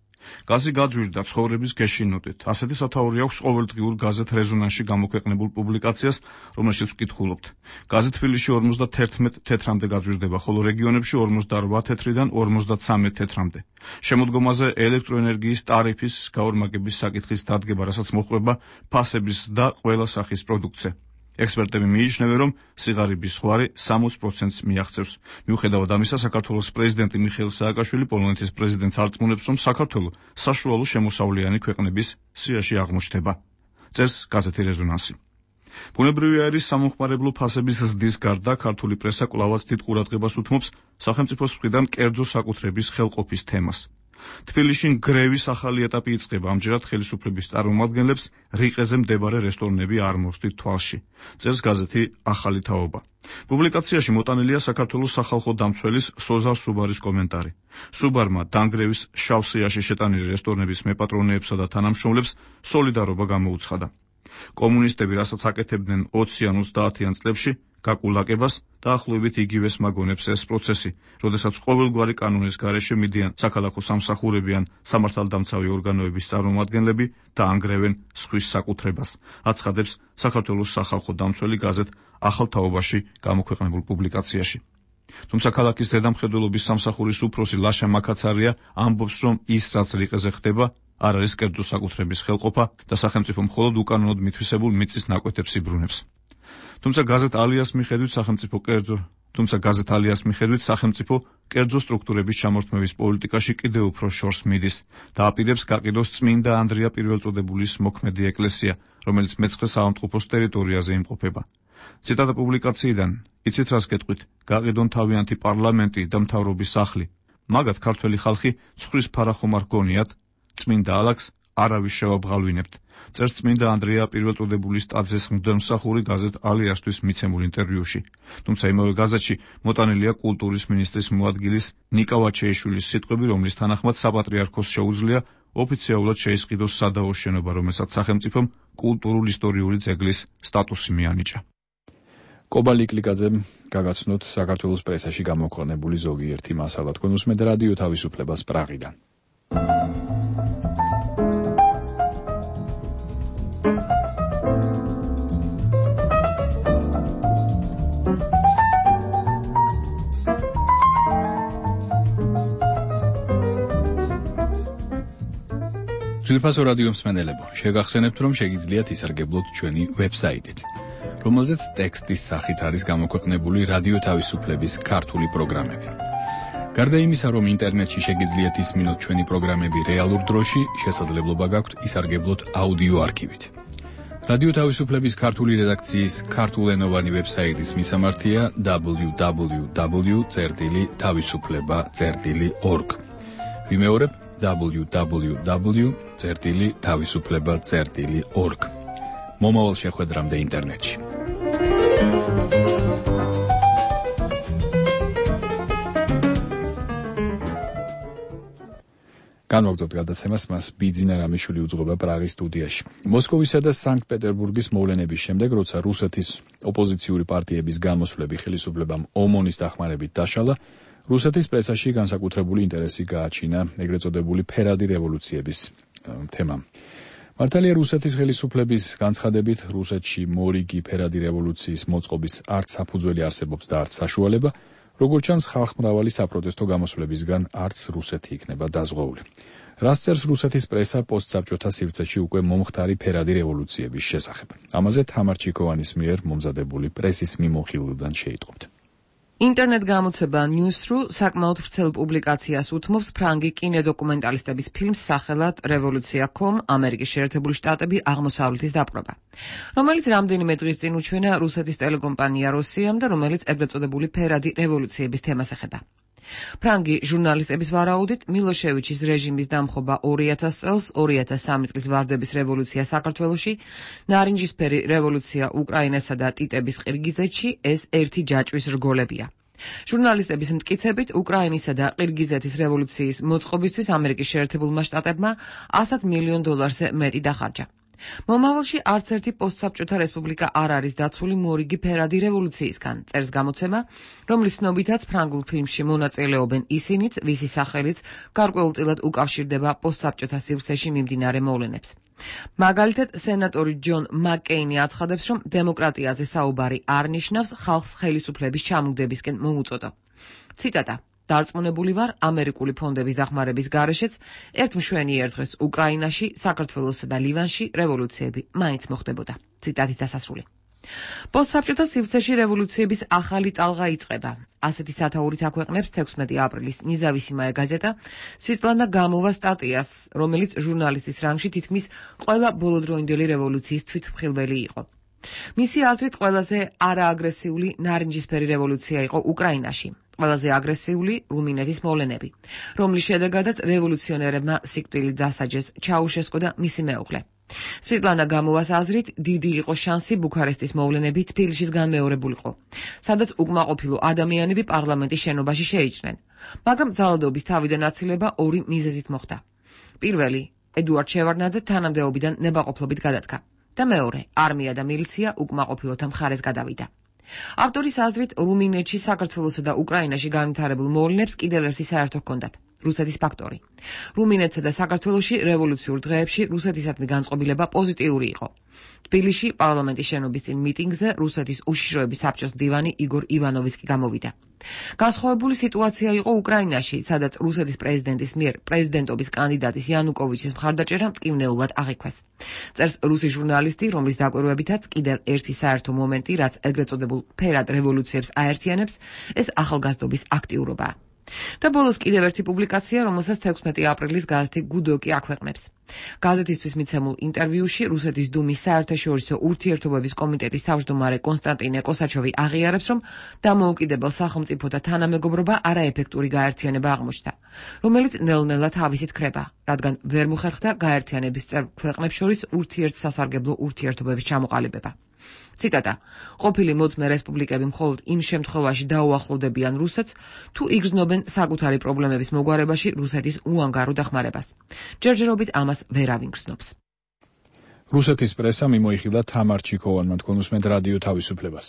გაზი გაძვირდა ცხოვრების გეშინოდეთ. ასეთი სათაური აქვს ყოველდღიურ გაზეთ რეზონანსში გამოქვეყნებულ პუბლიკაციას, რომელშიც ვკითხულობთ. გაზი თბილისში ორმოცდაერთმეტ თეთრამდე გაძვირდება, ხოლო რეგიონებში ორმოცდაორბა თეთრიდან ორმოცდაცამეტ თეთრამდე. შემოდგომაზე ელექტროენერგიის ტარიფის გაორმაგების საკითხის დადგება, რასაც მოჰყვება ფასების და ყველა სახის პროდუქცია. ექსპერტები მიიჩნევენ, რომ სიღარიბის ზღვარი სამოცდ პროცენტს მიაღწევს. მიუხედავად ამისა, საქართველოს პრეზიდენტი მიხეილ სააკაშვილი პოლონეთის პრეზიდენტს არწმუნებს, რომ საქართველო საშუალო შემოსავლიანი ქვეყნების სიაში აღმოჩნდება. წერს გაზეთი რეზონანსი. ბუნებრივი აირის სამომხმარებლო ფასების ზრდის გარდა ქართული პრესა კვლავაც დიდ ყურადღებას უთმობს სახელმწიფოს მხრიდან კერძო საკუთრების ხელყოფის თემას. თბილისში გრევის ახალი ეტაპი იწყება, ამჯერად ხელისუფლების წარმომადგენლებს რიყეზე მდებარე რესტორნები არ მოსდით თვალში. წერს გაზეთი ახალი თაობა. პუბლიკაციაში მოტანილია საქართველოს სახალხო დამცველის სოზარ სუბარის კომენტარი. სუბარმა დანგრევის შავ სიაში შეტანილი რესტორნების მეპატრონეებსა და თანამშრომლებს სოლიდარობა გამოუცხადა. კომუნისტები, რასაც აკეთებდნენ ოცი ან ოცდაათიან წლებში, გაკულაკებას დაახლოებით იგივეს მაგონებს ეს პროცესი, როდესაც ყოველგვარი კანონის გარეშე მიდიან საქალაქო სამსახურები ან სამართალდამცავი ორგანოების წარმომადგენლები და ანგრევენ სხვის საკუთრებას, აცხადებს საქართველოს სახალხო დამცველი გაზეთ ახალ თაობაში გამოქვეყნებულ პუბლიკაციაში. თუმცა ქალაქის ზედამხედველობის სამსახურის უფროსი ლაშა მაკაცარია ამბობს, რომ ის რაც რიყეზე ხდება, არ არის კერძო საკუთრების ხელყოფა და სახელმწიფო მხოლოდ უკანონოდ მითვისებულ მიწის ნაკვეთებს იბრუნებს. თუმცა გაზეთ ალიას მიხედვით სახელმწიფო კერძო თუმცა გაზეთ ალიას მიხედვით სახელმწიფო კერძო სტრუქტურების ჩამორთმევის პოლიტიკაში კიდევ უფრო შორს მიდის და აპირებს გაყიდოს წმინდა ანდრია პირველწოდებულის მოქმედი ეკლესია, რომელიც მეცხრე საავადმყოფოს ტერიტორიაზე იმყოფება. ციტატა პუბლიკაციიდან: იცით რას გეტყვით? გაყიდონ თავიანთი პარლამენტი და მთავრობის სახლი. მაგათ ქართველი ხალხი ცხვრის ფარახომარ გონიათ, წმინდა ალაგს არავის შევაბღალვინებთ. წერს წმინდა ანდრია პირველწოდებულის ტაძრის მღვდელმსახური გაზეთ ალიასთვის მიცემულ ინტერვიუში. თუმცა იმავე გაზეთში მოტანილია კულტურის მინისტრის მოადგილის ნიკა ვაჩეიშვილის სიტყვები, რომლის თანახმად საპატრიარქოს შეუძლია ოფიციალურად შეისყიდოს სადაო შენობა, რომელსაც სახელმწიფომ კულტურულ-ისტორიული ძეგლის სტატუსი მიანიჭა. კობა ლიკლიკაძემ გაგაცნოთ საქართველოს პრესაში გამოქვეყნებული ზოგიერთი მასალა. თქვენ უსმენთ რადიო თავისუფლებას პრაღიდან. ძვირფასო რადიო მსმენელებო, შეგახსენებთ, რომ შეგიძლიათ ისარგებლოთ ჩვენი ვებსაიტით, რომელზეც ტექსტის სახით არის გამოქვეყნებული რადიო თავისუფლების ქართული პროგრამები. გარდა იმისა, რომ ინტერნეტში შეგიძლიათ ისმინოთ ჩვენი პროგრამები რეალურ დროში, შესაძლებლობა გაქვთ ისარგებლოთ აუდიო არქივით. რადიო თავისუფლების ქართული რედაქციის ქართულენოვანი ვებსაიტის მისამართია დაბლიუ დაბლიუ დაბლიუ წერტილი თავისუფლება წერტილი ორგ. ვიმეორებ დაბლიუ დაბლიუ დაბლიუ წერტილი თავისუფლება წერტილი ორგ. მომავალ შეხვედრამდე ინტერნეტში. განვაგრძობთ გადაცემას, მას ბიძინა რამიშვილი უძღვება პრაღის სტუდიაში. მოსკოვისა და სანქტ-პეტერბურგის მოვლენების შემდეგ, როცა რუსეთის ოპოზიციური პარტიების გამოსვლები ხელისუფლებამ ომონის დახმარებით დაშალა, რუსეთის პრესაში განსაკუთრებული ინტერესი გააჩინა ეგრეთ წოდებული ფერადი რევოლუციების თემამ. მართალია რუსეთის ხელისუფლების განცხადებით, რუსეთში მორიგი ფერადი რევოლუციის მოწყობის არც საფუძველი არსებობს და არც საშუალება, როგორც ჩანს, ხალხმრავალი საპროტესტო გამოსვლებისგან არც რუსეთი იქნება დაზღვეული. რას წერს რუსეთის პრესა პოსტსაბჭოთა სივრცეში უკვე მომხდარი ფერადი რევოლუციების შესახებ? ამაზე თამარ ჩიქოვანის მიერ მომზადებული პრესის მიმოხილვიდან შეიტყობთ. ინტერნეტ გამოცემა News.ru საკმაოდ ვრცელ პუბლიკაციას უთმობს ფრანგი კინოდოკუმენტალისტების ფილმს სახელად რევოლუცია კომ ამერიკის შეერთებული შტატები აღმოსავლეთის დაპყრობა, რომელიც რამდენიმე დღის წინ უჩვენა რუსეთის ტელეკომპანია როსიამ და რომელიც ეგრეთ წოდებული ფერადი რევოლუციების თემას ეხება. ფრანგი ჟურნალისტების ვარაუდით, მილოშევიჩის რეჟიმის დამხობა ორი ათას წელს, ორი ათას სამი წლის ვარდების რევოლუცია საქართველოში, ნარინჯისფერი რევოლუცია უკრაინასა და ტიტების ყირგიზეთში ეს ერთი ჯაჭვის რგოლებია. ჟურნალისტების მტკიცებით, უკრაინისა და ყირგიზეთის რევოლუციის მოწყობისთვის ამერიკის შეერთებულმა შტატებმა ასად მილიონ დოლარზე მეტი დახარჯა. მომავალში არც ერთი პოსტსაბჭოთა რესპუბლიკა არ არის დაცული მორიგი ფერადი რევოლუციისგან, წერს გამოცემა, რომლის ცნობითაც ფრანგულ ფილმში მონაწილეობენ ისინიც, ვისი სახელიც გარკვეულწილად უკავშირდება პოსტსაბჭოთა სივრცეში მიმდინარე მოვლენებს. მაგალითად, სენატორი ჯონ მაკკეინი აცხადებს, რომ დემოკრატიაზე საუბარი არ ნიშნავს ხალხს ხელისუფლების ჩამოგდებისკენ მოუწოდო. ციტატა: დარწმუნებული ვარ, ამერიკული ფონდების დახმარების გარეშეც ერთ მშვენიერ დღეს უკრაინაში, საქართველოსა და ლივანში რევოლუციები მაინც მოხდებოდა. ციტატით დასასრული. პოსტსაბჭოთა სივრცეში რევოლუციების ახალი ტალღა იწყება. ასეთი სათაურით აქვეყნებს თექვსმეტი აპრილის ნიზავისიმაე გაზეტა სვიტლანა გამოვა სტატიას, რომელიც ჟურნალისტის რანგში თითქმის ყველა ბოლოდროინდელი რევოლუციის თვითმხილველი იყო. მისი აზრით, ყველაზე არააგრესიული ნარინჯისფერი რევოლუცია იყო უკრაინაში. ყველაზე აგრესიული რუმინეთის მოვლენები, რომლის შედეგადაც რევოლუციონერებმა სიკვდილი დასაჯეს ჩაუშესკო და მისი მეუღლე. სვიტლანა გამოვას აზრით, დიდი იყო შანსი ბუქარესტის მოვლენები თბილისის განმეორებულიყო, სადაც უკმაყოფილო ადამიანები პარლამენტის შენობაში შეიჭრნენ, მაგრამ ძალადობის თავიდან აცილება ორი მიზეზით მოხდა. პირველი, ედუარდ შევარდნაძე თანამდებობიდან ნებაყოფლობით გადადგა და მეორე, არმია და მილიცია უკმაყოფილოთა მხარეს გადავიდა. ავტორის აზრით, რუმინეთში, საქართველოსა და უკრაინაში განვითარებულ მოვლენებს კიდევ ერთი საერთო ჰქონდათ. რუსეთის ფაქტორი. რუმინეთსა და საქართველოში რევოლუციურ დღეებში რუსეთისადმი განწყობილება პოზიტიური იყო. თბილისში პარლამენტის შენობის წინ მიტინგზე რუსეთის უშიშროების საბჭოს მდივანი იგორ ივანოვიც კი გამოვიდა. განსხვავებული სიტუაცია იყო უკრაინაში, სადაც რუსეთის პრეზიდენტის მიერ პრეზიდენტობის კანდიდატის იანუკოვიჩის მხარდაჭერა მტკივნეულად აღიქვეს. წერს რუსი ჟურნალისტი, რომლის დაკვირვებითაც კიდევ ერთი საერთო მომენტი, რაც ეგრეთ წოდებულ ფერად რევოლუციებს აერთიანებს, ეს ახალგაზრდობის აქტიურობაა. და ბოლოს კიდევ ერთი პუბლიკაცია, რომელსაც თექვსმეტი აპრილის გაზეთი გუდოკი აქვეყნებს. გაზეთისთვის მიცემულ ინტერვიუში რუსეთის დუმის საერთაშორისო ურთიერთობების კომიტეტის თავმჯდომარე კონსტანტინე კოსაჩოვი აღიარებს, რომ დამოუკიდებელ სახელმწიფოთა თანამეგობრობა არაეფექტური გაერთიანება აღმოჩნდა, რომელიც ნელ-ნელა თავისით ქრება, რადგან ვერ მოხერხდა გაერთიანების წევრ ქვეყნებს შორის ურთიერთსასარგებლო ურთიერთობების ჩამოყალიბება. ციტატა: ყოფილი მოწმე რესპუბლიკები მხოლოდ იმ შემთხვევაში დაუახლოვდებიან რუსეთს, თუ იგრძნობენ საკუთარი პრობლემების მოგვარებაში რუსეთის უანგარო დახმარებას. ჯერჯერობით ამას ვერავინ გრძნობს. რუსეთის პრესა მიმოიხილა თამარ ჩიქოვანმა, თქვენ უსმენთ რადიო თავისუფლებას.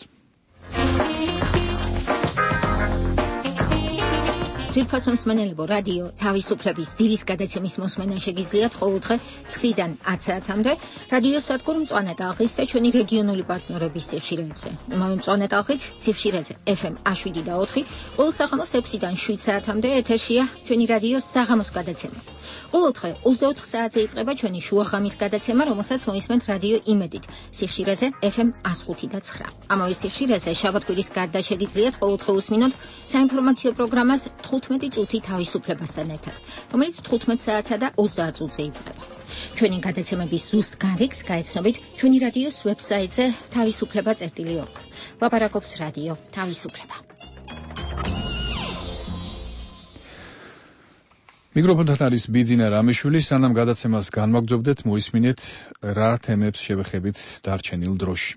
თვითფასო მსმენელებო, რადიო თავისუფლების დილის გადაცემის მოსმენა შეგიძლიათ ყოველდღე ცხრიდან ათ საათამდე რადიო სადგურ მწვანე ტალღის და ჩვენი რეგიონული პარტნიორების სიხშირეებზე. იმავე მწვანე ტალღით სიხშირეზე ეფ ემ შვიდი და ოთხი, ყოველ საღამოს ექვსიდან შვიდ საათამდე ეთერშია ჩვენი რადიო საღამოს გადაცემა. ყოველდღე ოცდაოთხ საათზე იწყება ჩვენი შუაღამის გადაცემა, რომელსაც მოისმენთ რადიო იმედით სიხშირეზე ეფ ემ ხუთი და ცხრა. ამავე სიხშირეზე შაბათ-კვირის გარდა შეგიძლიათ ყოველდღე უსმინოთ საინფორმაციო პროგრამას თხუთმეტი წუთი თავისუფლებასთან ერთად, რომელიც თხუთმეტ საათსა და ოცდაათ წუთზე იწყება. ჩვენი გადაცემების ზუსტ გარიგს გაეცნობით ჩვენი რადიოს ვებსაიტზე თავისუფლება წერტილი ორგ. ლაპარაკობს რადიო თავისუფლება. მიკროფონთან არის ბიძინა რამიშვილი. სანამ გადაცემას განვაგრძობდეთ, მოისმინეთ რა თემებს შევეხებით დარჩენილ დროში.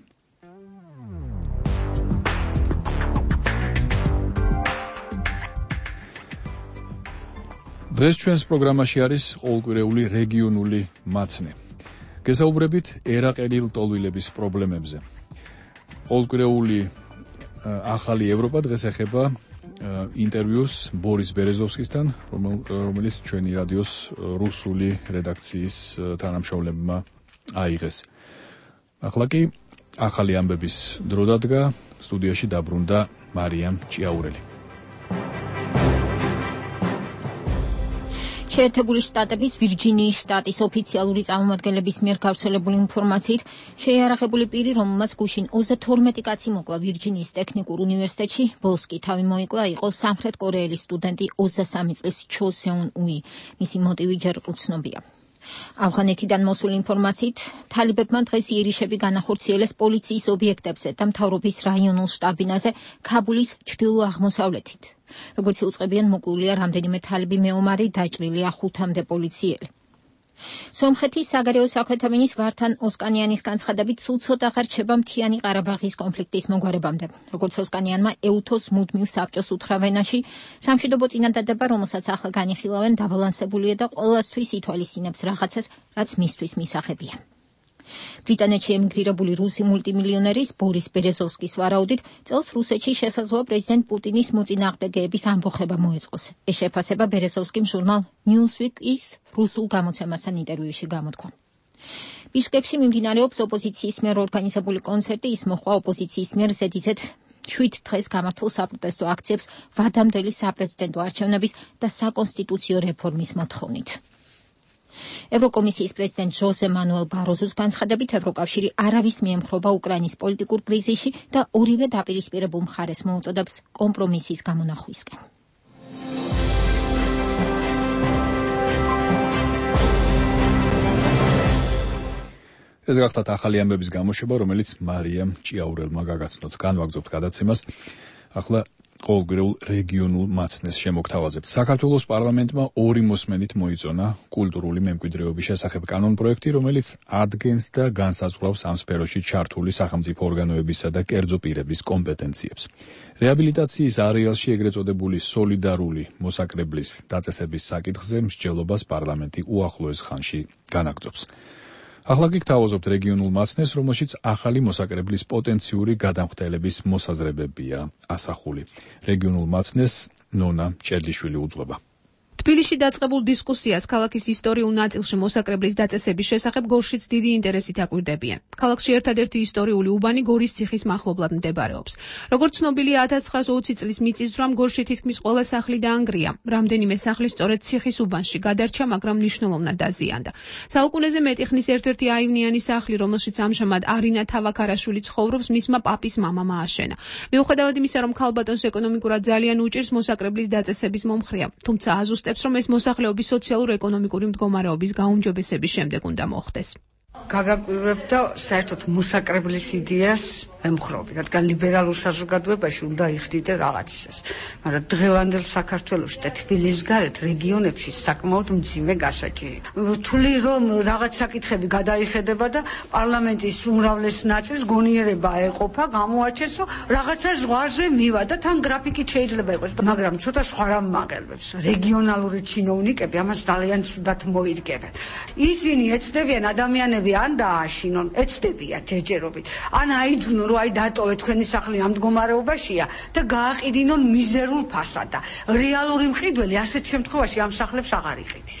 დღეს ჩვენს პროგრამაში არის ყოველკვირეული რეგიონული მაცნე. გესაუბრებით ერაყელი ლტოლვილების პრობლემებზე. ყოველკვირეული ახალი ევროპა დღეს ეხება ინტერვიუს ბორის ბერეზოვსკისთან, რომელიც ჩვენი რადიოს რუსული რედაქციის თანამშრომლებმა აიღეს. ახლა კი ახალი ამბების დრო დადგა, სტუდიაში დაბრუნდა მარიამ ჭიაურელი. შეერთებული შტატების ვირჯინიის შტატის ოფიციალური წარმომადგენლების მიერ გავრცელებული ინფორმაციით, შეიარაღებული პირი, რომელმაც გუშინ ოცდათორმეტი კაცი მოკლა ვირჯინიის ტექნიკურ უნივერსიტეტში, ბოლოს კი თავი მოიკლა, იყო სამხრეთ კორეელი სტუდენტი ოცდასამი წლის ჩო სეუნ უი. მისი მოტივი ჯერ უცნობია. ავღანეთიდან მოსული ინფორმაციით, თალიბებმა დღეს იერიშები განახორციელეს პოლიციის ობიექტებზე და მთავრობის რაიონულ შტაბინაზე ქაბულის ჩრდილო-აღმოსავლეთით. როგორც უწყებიან, მოკლულია რამდენიმე თალიბი მეომარი, დაჭრილია ხუთამდე პოლიციელი. სომხეთის საგარეო საქმეთა მინისტრ ვართან ოსკანიანის განცხადებით, სულ ცოტა ხარ რჩება მთიანი ყარაბაღის კონფლიქტის მოგვარებამდე. როგორც ოსკანიანმა ეუთოს მუდმივ საბჭოს უთხრა ვენაში, სამშვიდობო წინადადება, რომელსაც ახლა განიხილავენ, დაბალანსებულია და ყველასთვის ითვალისწინებს რაღაცას, რაც მისთვის მისაღებია. ბრიტანეთში ემიგრირებული რუსი მულტიმილიონერის ბორის ბერეზოვსკის ვარაუდით, წელს რუსეთში შესაძლოა პრეზიდენტ პუტინის მოწინააღმდეგეების ამბოხება მოეწყოს. ეს შეფასება ბერეზოვსკიმ ჟურნალ Newsweek-ის რუსულ გამოცემასთან ინტერვიუში გამოთქვა. ბიშკეკში მიმდინარეობს ოპოზიციის მიერ ორგანიზებული კონცერტი, ის მოჰყვა ოპოზიციის მიერ ზედიზედ შვიდ დღეს გამართულ საპროტესტო აქციებს ვადამდელი საპრეზიდენტო არჩევნების და საკონსტიტუციო რეფორმის მოთხოვნით. ევროკომისიის პრეზიდენტ ჟოზე მანუელ ბაროზოს განცხადებით, ევროკავშირი არავის მიემხრობა უკრაინის პოლიტიკურ კრიზისში და ორივე დაპირისპირებულ მხარეს მოუწოდებს კომპრომისის გამონახვისკენ. ეს გახდათ ახალი ამბების გამოშვება, რომელიც მარიამ ჭიაურელმა გაგაცნოთ. განვაგრძობთ გადაცემას. ახლა ყოველკვირეულ რეგიონულ მაცნეს შემოგთავაზებთ. საქართველოს პარლამენტმა ორი მოსმენით მოიწონა კულტურული მემკვიდრეობის შესახებ კანონპროექტი, რომელიც ადგენს და განსაზღვრავს ამ სფეროში ჩართული სახელმწიფო ორგანოებისა და კერძო პირების კომპეტენციებს. რეაბილიტაციის არეალში ეგრეთ წოდებული სოლიდარული მოსაკრებლის დაწესების საკითხზე მსჯელობას პარლამენტი უახლოეს ხანში განაგრძობს. ახლა კი გთავაზობთ რეგიონულ მაცნეს, რომელშიც ახალი მოსაკრებლის პოტენციური გადამხდელების მოსაზრებებია ასახული. რეგიონულ მაცნეს ნონა ჭედლიშვილი უძღვება. თბილისში დაწყებულ დისკუსიას ქალაქის ისტორიულ ნაწილში მოსაკრებლის დაწესების შესახებ გორშიც დიდი ინტერესით აკვირდებიან. ქალაქში ერთადერთი ისტორიული უბანი გორის ციხის მახლობლად მდებარეობს. როგორც ცნობილია, ათას ცხრაას ოცი წლის მიწისძვრამ გორში თითქმის ყველა სახლი დაანგრია. რამდენიმე სახლი სწორედ ციხის უბანში გადარჩა, მაგრამ მნიშვნელოვნად დაზიანდა. საუკუნეზე მეტი ხნის ერთ-ერთი აივნიანი სახლი, რომელშიც ამჟამად არინა თავაქარაშვილი ცხოვრობს, მისმა პაპის მამამ ააშენა. მიუხედავად იმისა, რომ ქალბატონს ეკონომიკურად ძალიან უჭირს მოსაკრებლის დაწესების მომხრეა, თუმცა აზუსტებს, რომ ეს მოსახლეობის სოციალურ-ეკონომიკური მდგომარეობის გაუმჯობესების შემდეგ უნდა მოხდეს. გაგაკვირვებ და საერთოდ მოსაკრებლის იდეას ემხრობი, რადგან ლიბერალურ საზოგადოებაში უნდა იხდიდე რაღაცას. მაგრამ დღევანდელ საქართველოში და თბილისის გარეთ რეგიონებში საკმაოდ მძიმე გასაჭირია. რთული რომ რაღაც საკითხები გადაიხედება და პარლამენტის უმრავლეს ნაწილს გონიერება ეყოფა, გამოაჩენს, რომ რაღაცა ზღვარზე მივა და თან გრაფიკით შეიძლება იყოს, მაგრამ ცოტა სხვა რამ მაღელვებს. რეგიონალური ჩინოვნიკები ამას ძალიან ცუდად მოირგებენ. ისინი ეცდებიან ადამიანები ან დააშინონ, ეცდებიან ჯერჯერობით, ან აიძვნონ, რომ აი დატოვე თქვენი სახლი ამ მდგომარეობაშია და გააყიდინონ მიზერულ ფასადა. რეალური მყიდველი ასეთ შემთხვევაში ამ სახლებს აღარ იყიდის.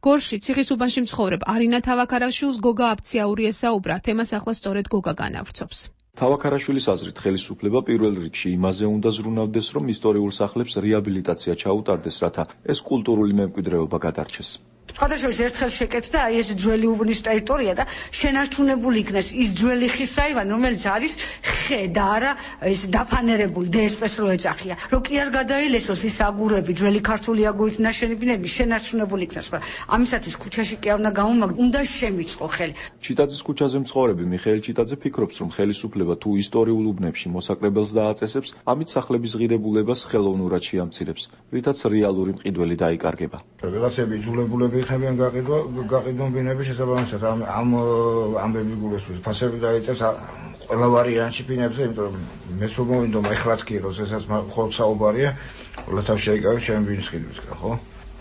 გორში ციხის უბანში მცხოვრებ არინა თავაქარაშვილს გოგა აფციაური ესაუბრა, თემას ახლა სწორედ გოგა განავრცობს. თავაქარაშვილის აზრით, ხელისუფლება პირველ რიგში იმაზე უნდა ზრუნავდეს, რომ ისტორიულ სახლებს რეაბილიტაცია ჩაუტარდეს, რათა ეს კულტურული მემკვიდრეობა გადარჩეს. სხვადასხვა ერთხელ შეკეთდა აი ეს ძველი უბნის ტერიტორია და შენარჩუნებული იქნეს ის ძველი ხის აივანი, რომელიც არის ხე და არა ეს დაფანერებული დსპ-ს რო ეძახია. რომ კი არ გადაილესოს ის აგურები, ძველი ქართული აგურით ნაშენი ბინები შენარჩუნებული იქნეს, მაგრამ ამისათვის ქუჩაში კი არ უნდა გამომაგდო, უნდა შემიწყო ხელი. ჩიტაძის ქუჩაზე მცხოვრები მიხეილ ჩიტაძე ფიქრობს, რომ ხელისუფლება თუ ისტორიულ უბნებში მოსაკრებელს დააწესებს, ამით სახლების ღირებულებას ხელოვნურად შეამცირებს, რითაც რეალური მყიდველი დაიკარგება. რაღაცები იძულებულები ხებიან გაყიდვა, გაყიდონ ბინების შესაბამისად ამ ამ ამბები გულისხმობს. ფასები დაიწევს ყველა ვარიანტში ბინებზე, იმიტომ რომ მე სულ მოვინდომა ეხლაც კი როდესაც ხოლმე საუბარია, ყველა თავ შეიკავებს ჩემი ბინის ყიდვისგან, ხო?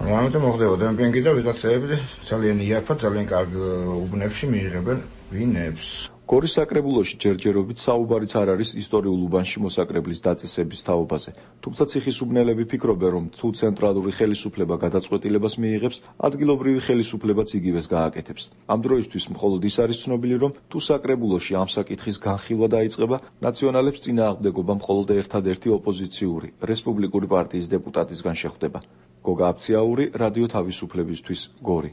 ამიტომ მოხდება დემპინგი და ვიღაცები ძალიან იაფად, ძალიან კარგ უბნებში მიიღებენ ვინებს. გორის საკრებულოში ჯერჯერობით საუბარიც არ არის ისტორიულ უბანში მოსაკრებლის დაწესების თაობაზე. თუმცა ციხისუბნელები ფიქრობენ, რომ თუ ცენტრალური ხელისუფლება გადაწყვეტილებას მიიღებს, ადგილობრივი ხელისუფლებაც იგივეს გააკეთებს. ამ დროისთვის მხოლოდ ის არის ცნობილი, რომ თუ საკრებულოში ამ საკითხის განხილვა დაიწყება, ნაციონალებს წინააღმდეგობა მხოლოდ ერთადერთი ოპოზიციური, რესპუბლიკური პარტიის დეპუტატისგან შეხვდება. გოგა აბციაური, რადიო თავისუფლებისთვის, გორი.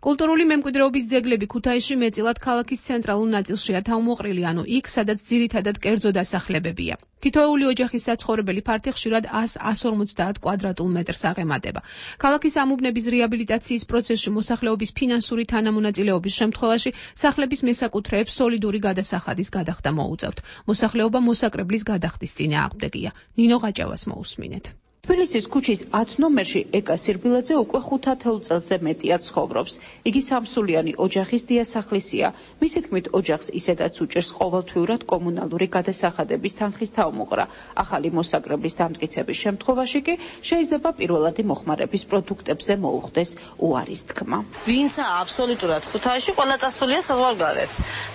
კულტურული მემკვიდრეობის ძეგლები ქუთაისში მეტწილად ქალაქის ცენტრალურ ნაწილშია თავმოყრილი, ანუ იქ, სადაც ძირითადად კერძო დასახლებებია. თითოეული ოჯახის საცხოვრებელი ფართი ხშირად ას ორმოცდაათ კვადრატულ მეტრს აღემატება. ქალაქის ამუბნების რეაბილიტაციის პროცესში მოსახლეობის ფინანსური თანამონაწილეობის შემთხვევაში სახლების მესაკუთრეებს სოლიდური გადასახადის გადახდა მოუწევთ. მოსახლეობა მოსაკრებლის გადახდის წინააღმდეგია. ნინო გაჭავას მოусმინეთ. თბილისის ქუჩის ათ ნომერში ეკა სირბილაძე უკვე ხუთათეულ წელზე მეტია ცხოვრობს. იგი სამსულიანი ოჯახის დიასახლისია. მისი თქმით, ოჯახს ისედაც უჭერს ყოველთვიურად კომუნალური გადასახადების თანხის თავმოყრა. ახალი მოსაკრებლის დამტკიცების შემთხვევაში კი შეიძლება პირველადი მოხმარების პროდუქტებზე მოუხდეს უარის თქმა. ვინცა აბსოლუტურად ქუთაისში ყველა წასულია საზღვარგარეთ.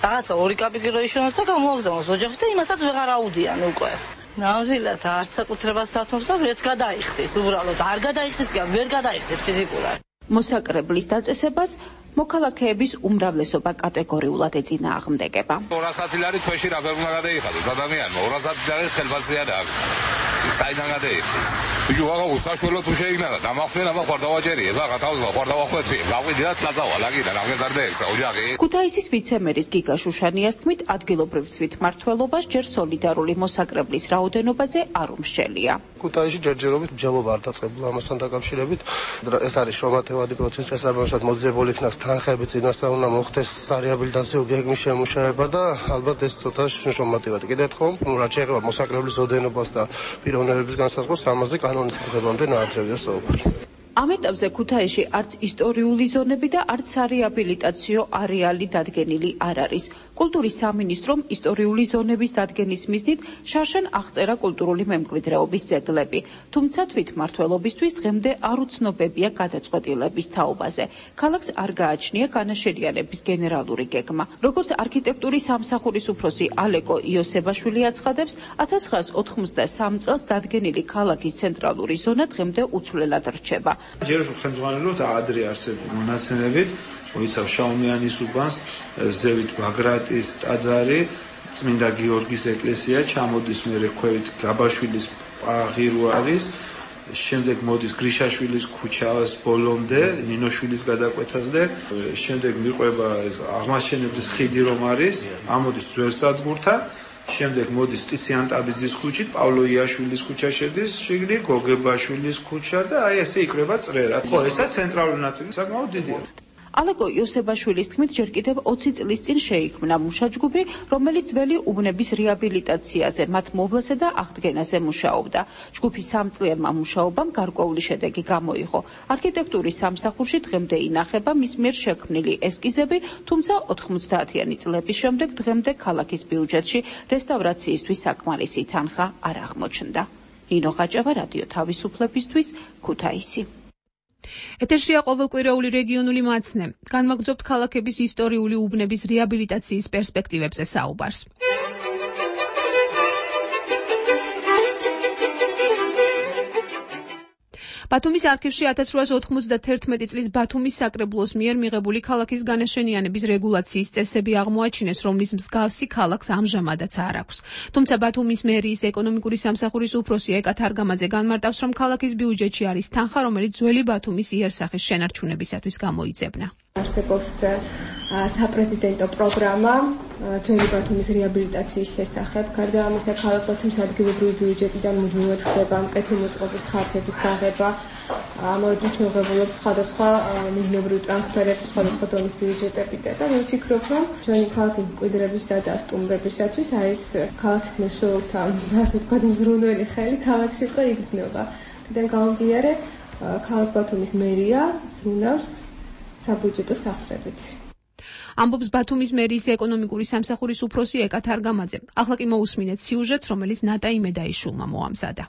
რაღაცა ორი კაპიკი რო იშოვოს და გამოაგზავნოს ოჯახში და იმასაც ვეღარ აუდიან უკვე. ნამდვილად არც საკუთრებას დათმობს და ვერც გადაიხდის, უბრალოდ არ გადაიხდის, ვერ გადაიხდის ფიზიკურად. მოსაკრებლის დაწესებას მოქალაქეების უმრავლესობა კატეგორიულად ეწინააღმდეგება. ორასი ლარი თვეში რა ვერ უნდა გადაიხადოს ადამიანმა, ორასი ლარი ხელფასია და საიდან გადაიხდის. იგი ვაღა უსაშველო თუ შეიგნა და დამახსენა ხარ დავაჯერიე, ვაღა თავზა ხარ დავახვეწი, გავიდი და წაზავა ლაგიდან აღეზარდეექს ოჯახი. ქუთაისის ვიცემერის გიგა შუშანიას თქმით, ადგილობრივ თვითმმართველობას ჯერ სოლიდარული მოსაკრებლის რაოდენობაზე არ უმსჯელია. ქუთაისში ჯერჯერობით მსჯელობა არ დაწყებულა ამასთან დაკავშირებით. ეს არის შრომათევადი პროცესი, ეს ამასაც მოძიებული იქნას თანხები წინასწარ უნდა მოხდეს სარეაბილიტაციო გეგმის შემუშავება და ალბათ ეს ცოტა შრომათევადი. კიდევ ერთხელ, რაც შეეხება მოსაკრებლის ოდენობას და პიროვნებების განსაზღვრას, ამაზე კანონის მიღებამდე ნაადრევია საუბარი. ამ ეტაპზე ქუთაისში არც ისტორიული ზონები და არც სარეაბილიტაციო არეალი დადგენილი არ არის. კულტურის სამინისტრომ ისტორიული ზონების დადგენის მიზნით შარშან აღწერა კულტურული მემკვიდრეობის ძეგლები, თუმცა თვითმმართველობისთვის დღემდე არ უცნობებია გადაწყვეტილების თაობაზე. ქალაქს არ გააჩნია განაშენიანების გენერალური გეგმა. როგორც არქიტექტურის სამსახურის უფროსი ალეკო იოსებაშვილი აცხადებს, ათას ცხრაას ოთხმოცდასამ წელს დადგენილი ქალაქის ცენტრალური ზონა დღემდე უცვლელად რჩება. ჯერ ხელმძღვანელობთ ადრე არსებულ მონაცემებით, მოიცავს შაუმიანის უბანს, ზევით ბაგრატის ტაძარი, წმინდა გიორგის ეკლესია, ჩამოდის მერე ქვევით გაბაშვილის ღირვარის, შემდეგ მოდის გრიშაშვილის ქუჩას ბოლომდე, ნინოშვილის გადაკვეთაზე, შემდეგ მიყვება აღმაშენებლის ხიდი რომ არის, ამოდის ძველსადგურთან, შემდეგ მოდის სტიციან ტაბიძის ქუჩით, პავლო იაშვილის ქუჩა შედის, შიგნით გოგებაშვილის ქუჩა და აი ესე იკრება წრერად. ხო, ესა ცენტრალური ნაწილი საკმაოდ დიდია. ალეკო იოსებაშვილის თქმით, ჯერ კიდევ ოცი წლის წინ შეიქმნა მუშაჯგუფი, რომელიც ძველი უბნების რეაბილიტაციაზე, მათ მოვლასა და აღდგენაზე მუშაობდა. ჯგუფის სამწლიანმა მუშაობამ გარკვეული შედეგი გამოიღო. არქიტექტურის სამსახურში დღემდე ინახება მის მიერ შექმნილი ესკიზები, თუმცა ოთხმოცდაათიანი წლების შემდეგ დღემდე ქალაქის ბიუჯეტში რესტავრაციისთვის საკმარისი თანხა არ აღმოჩნდა. ნინო გაჭავა, რადიო თავისუფლებისთვის, ქუთაისი. ეთერშია ყოველკვირეული რეგიონული მაცნე. განვაგრძობთ ქალაქების ისტორიული უბნების რეაბილიტაციის პერსპექტივებზე საუბარს. ბათუმის არქივში ათას რვაას ოთხმოცდათერთმეტი წლის ბათუმის საკრებულოს მიერ მიღებული ქალაქის განაშენიანების რეგულაციის წესები აღმოაჩინეს, რომლის მსგავსი ქალაქს ამჟამადაც არ აქვს. თუმცა ბათუმის მერიის ეკონომიკური სამსახურის უფროსი ეკა თარგამაძე განმარტავს, რომ ქალაქის ბიუჯეტში არის თანხა, რომელიც ძველი ბათუმის იერსახის შენარჩუნებისათვის გამოიძებნა. არსებობს საპრეზიდენტო პროგრამა ძველი ბათუმის რეაბილიტაციის შესახებ. გარდა ამისა, ქალაქ ბათუმის ადგილობრივი ბიუჯეტიდან მუდმივად ხდება მკეთილმოწყობის ხარჯების გაღება. ამავე დროს ჩვეულებრივ სხვადასხვა მიზნობრივ ტრანსფერებს სხვადასხვა დონის ბიუჯეტებიდან და მე ვფიქრობ, რომ ჩვენი ქალაქის მკვიდრებისა და სტუმრებისათვის აი ეს ქალაქის მესვეურთა, ასე ვთქვათ, მზრუნველი ხელი ქალაქში უკვე იგრძნობა. აქედან გამომდინარე, ქალაქ ბათუმის მერია ზრუნავს საბიუჯეტო სახსრებით. ამბობს ბათუმის მერიის ეკონომიკური სამსახურის უფროსი ეკა თარგამაძე. ახლა კი მოусმინეთ სიუჟეტს, რომელიც ნატა იმედაიშვილმა მოამზადა.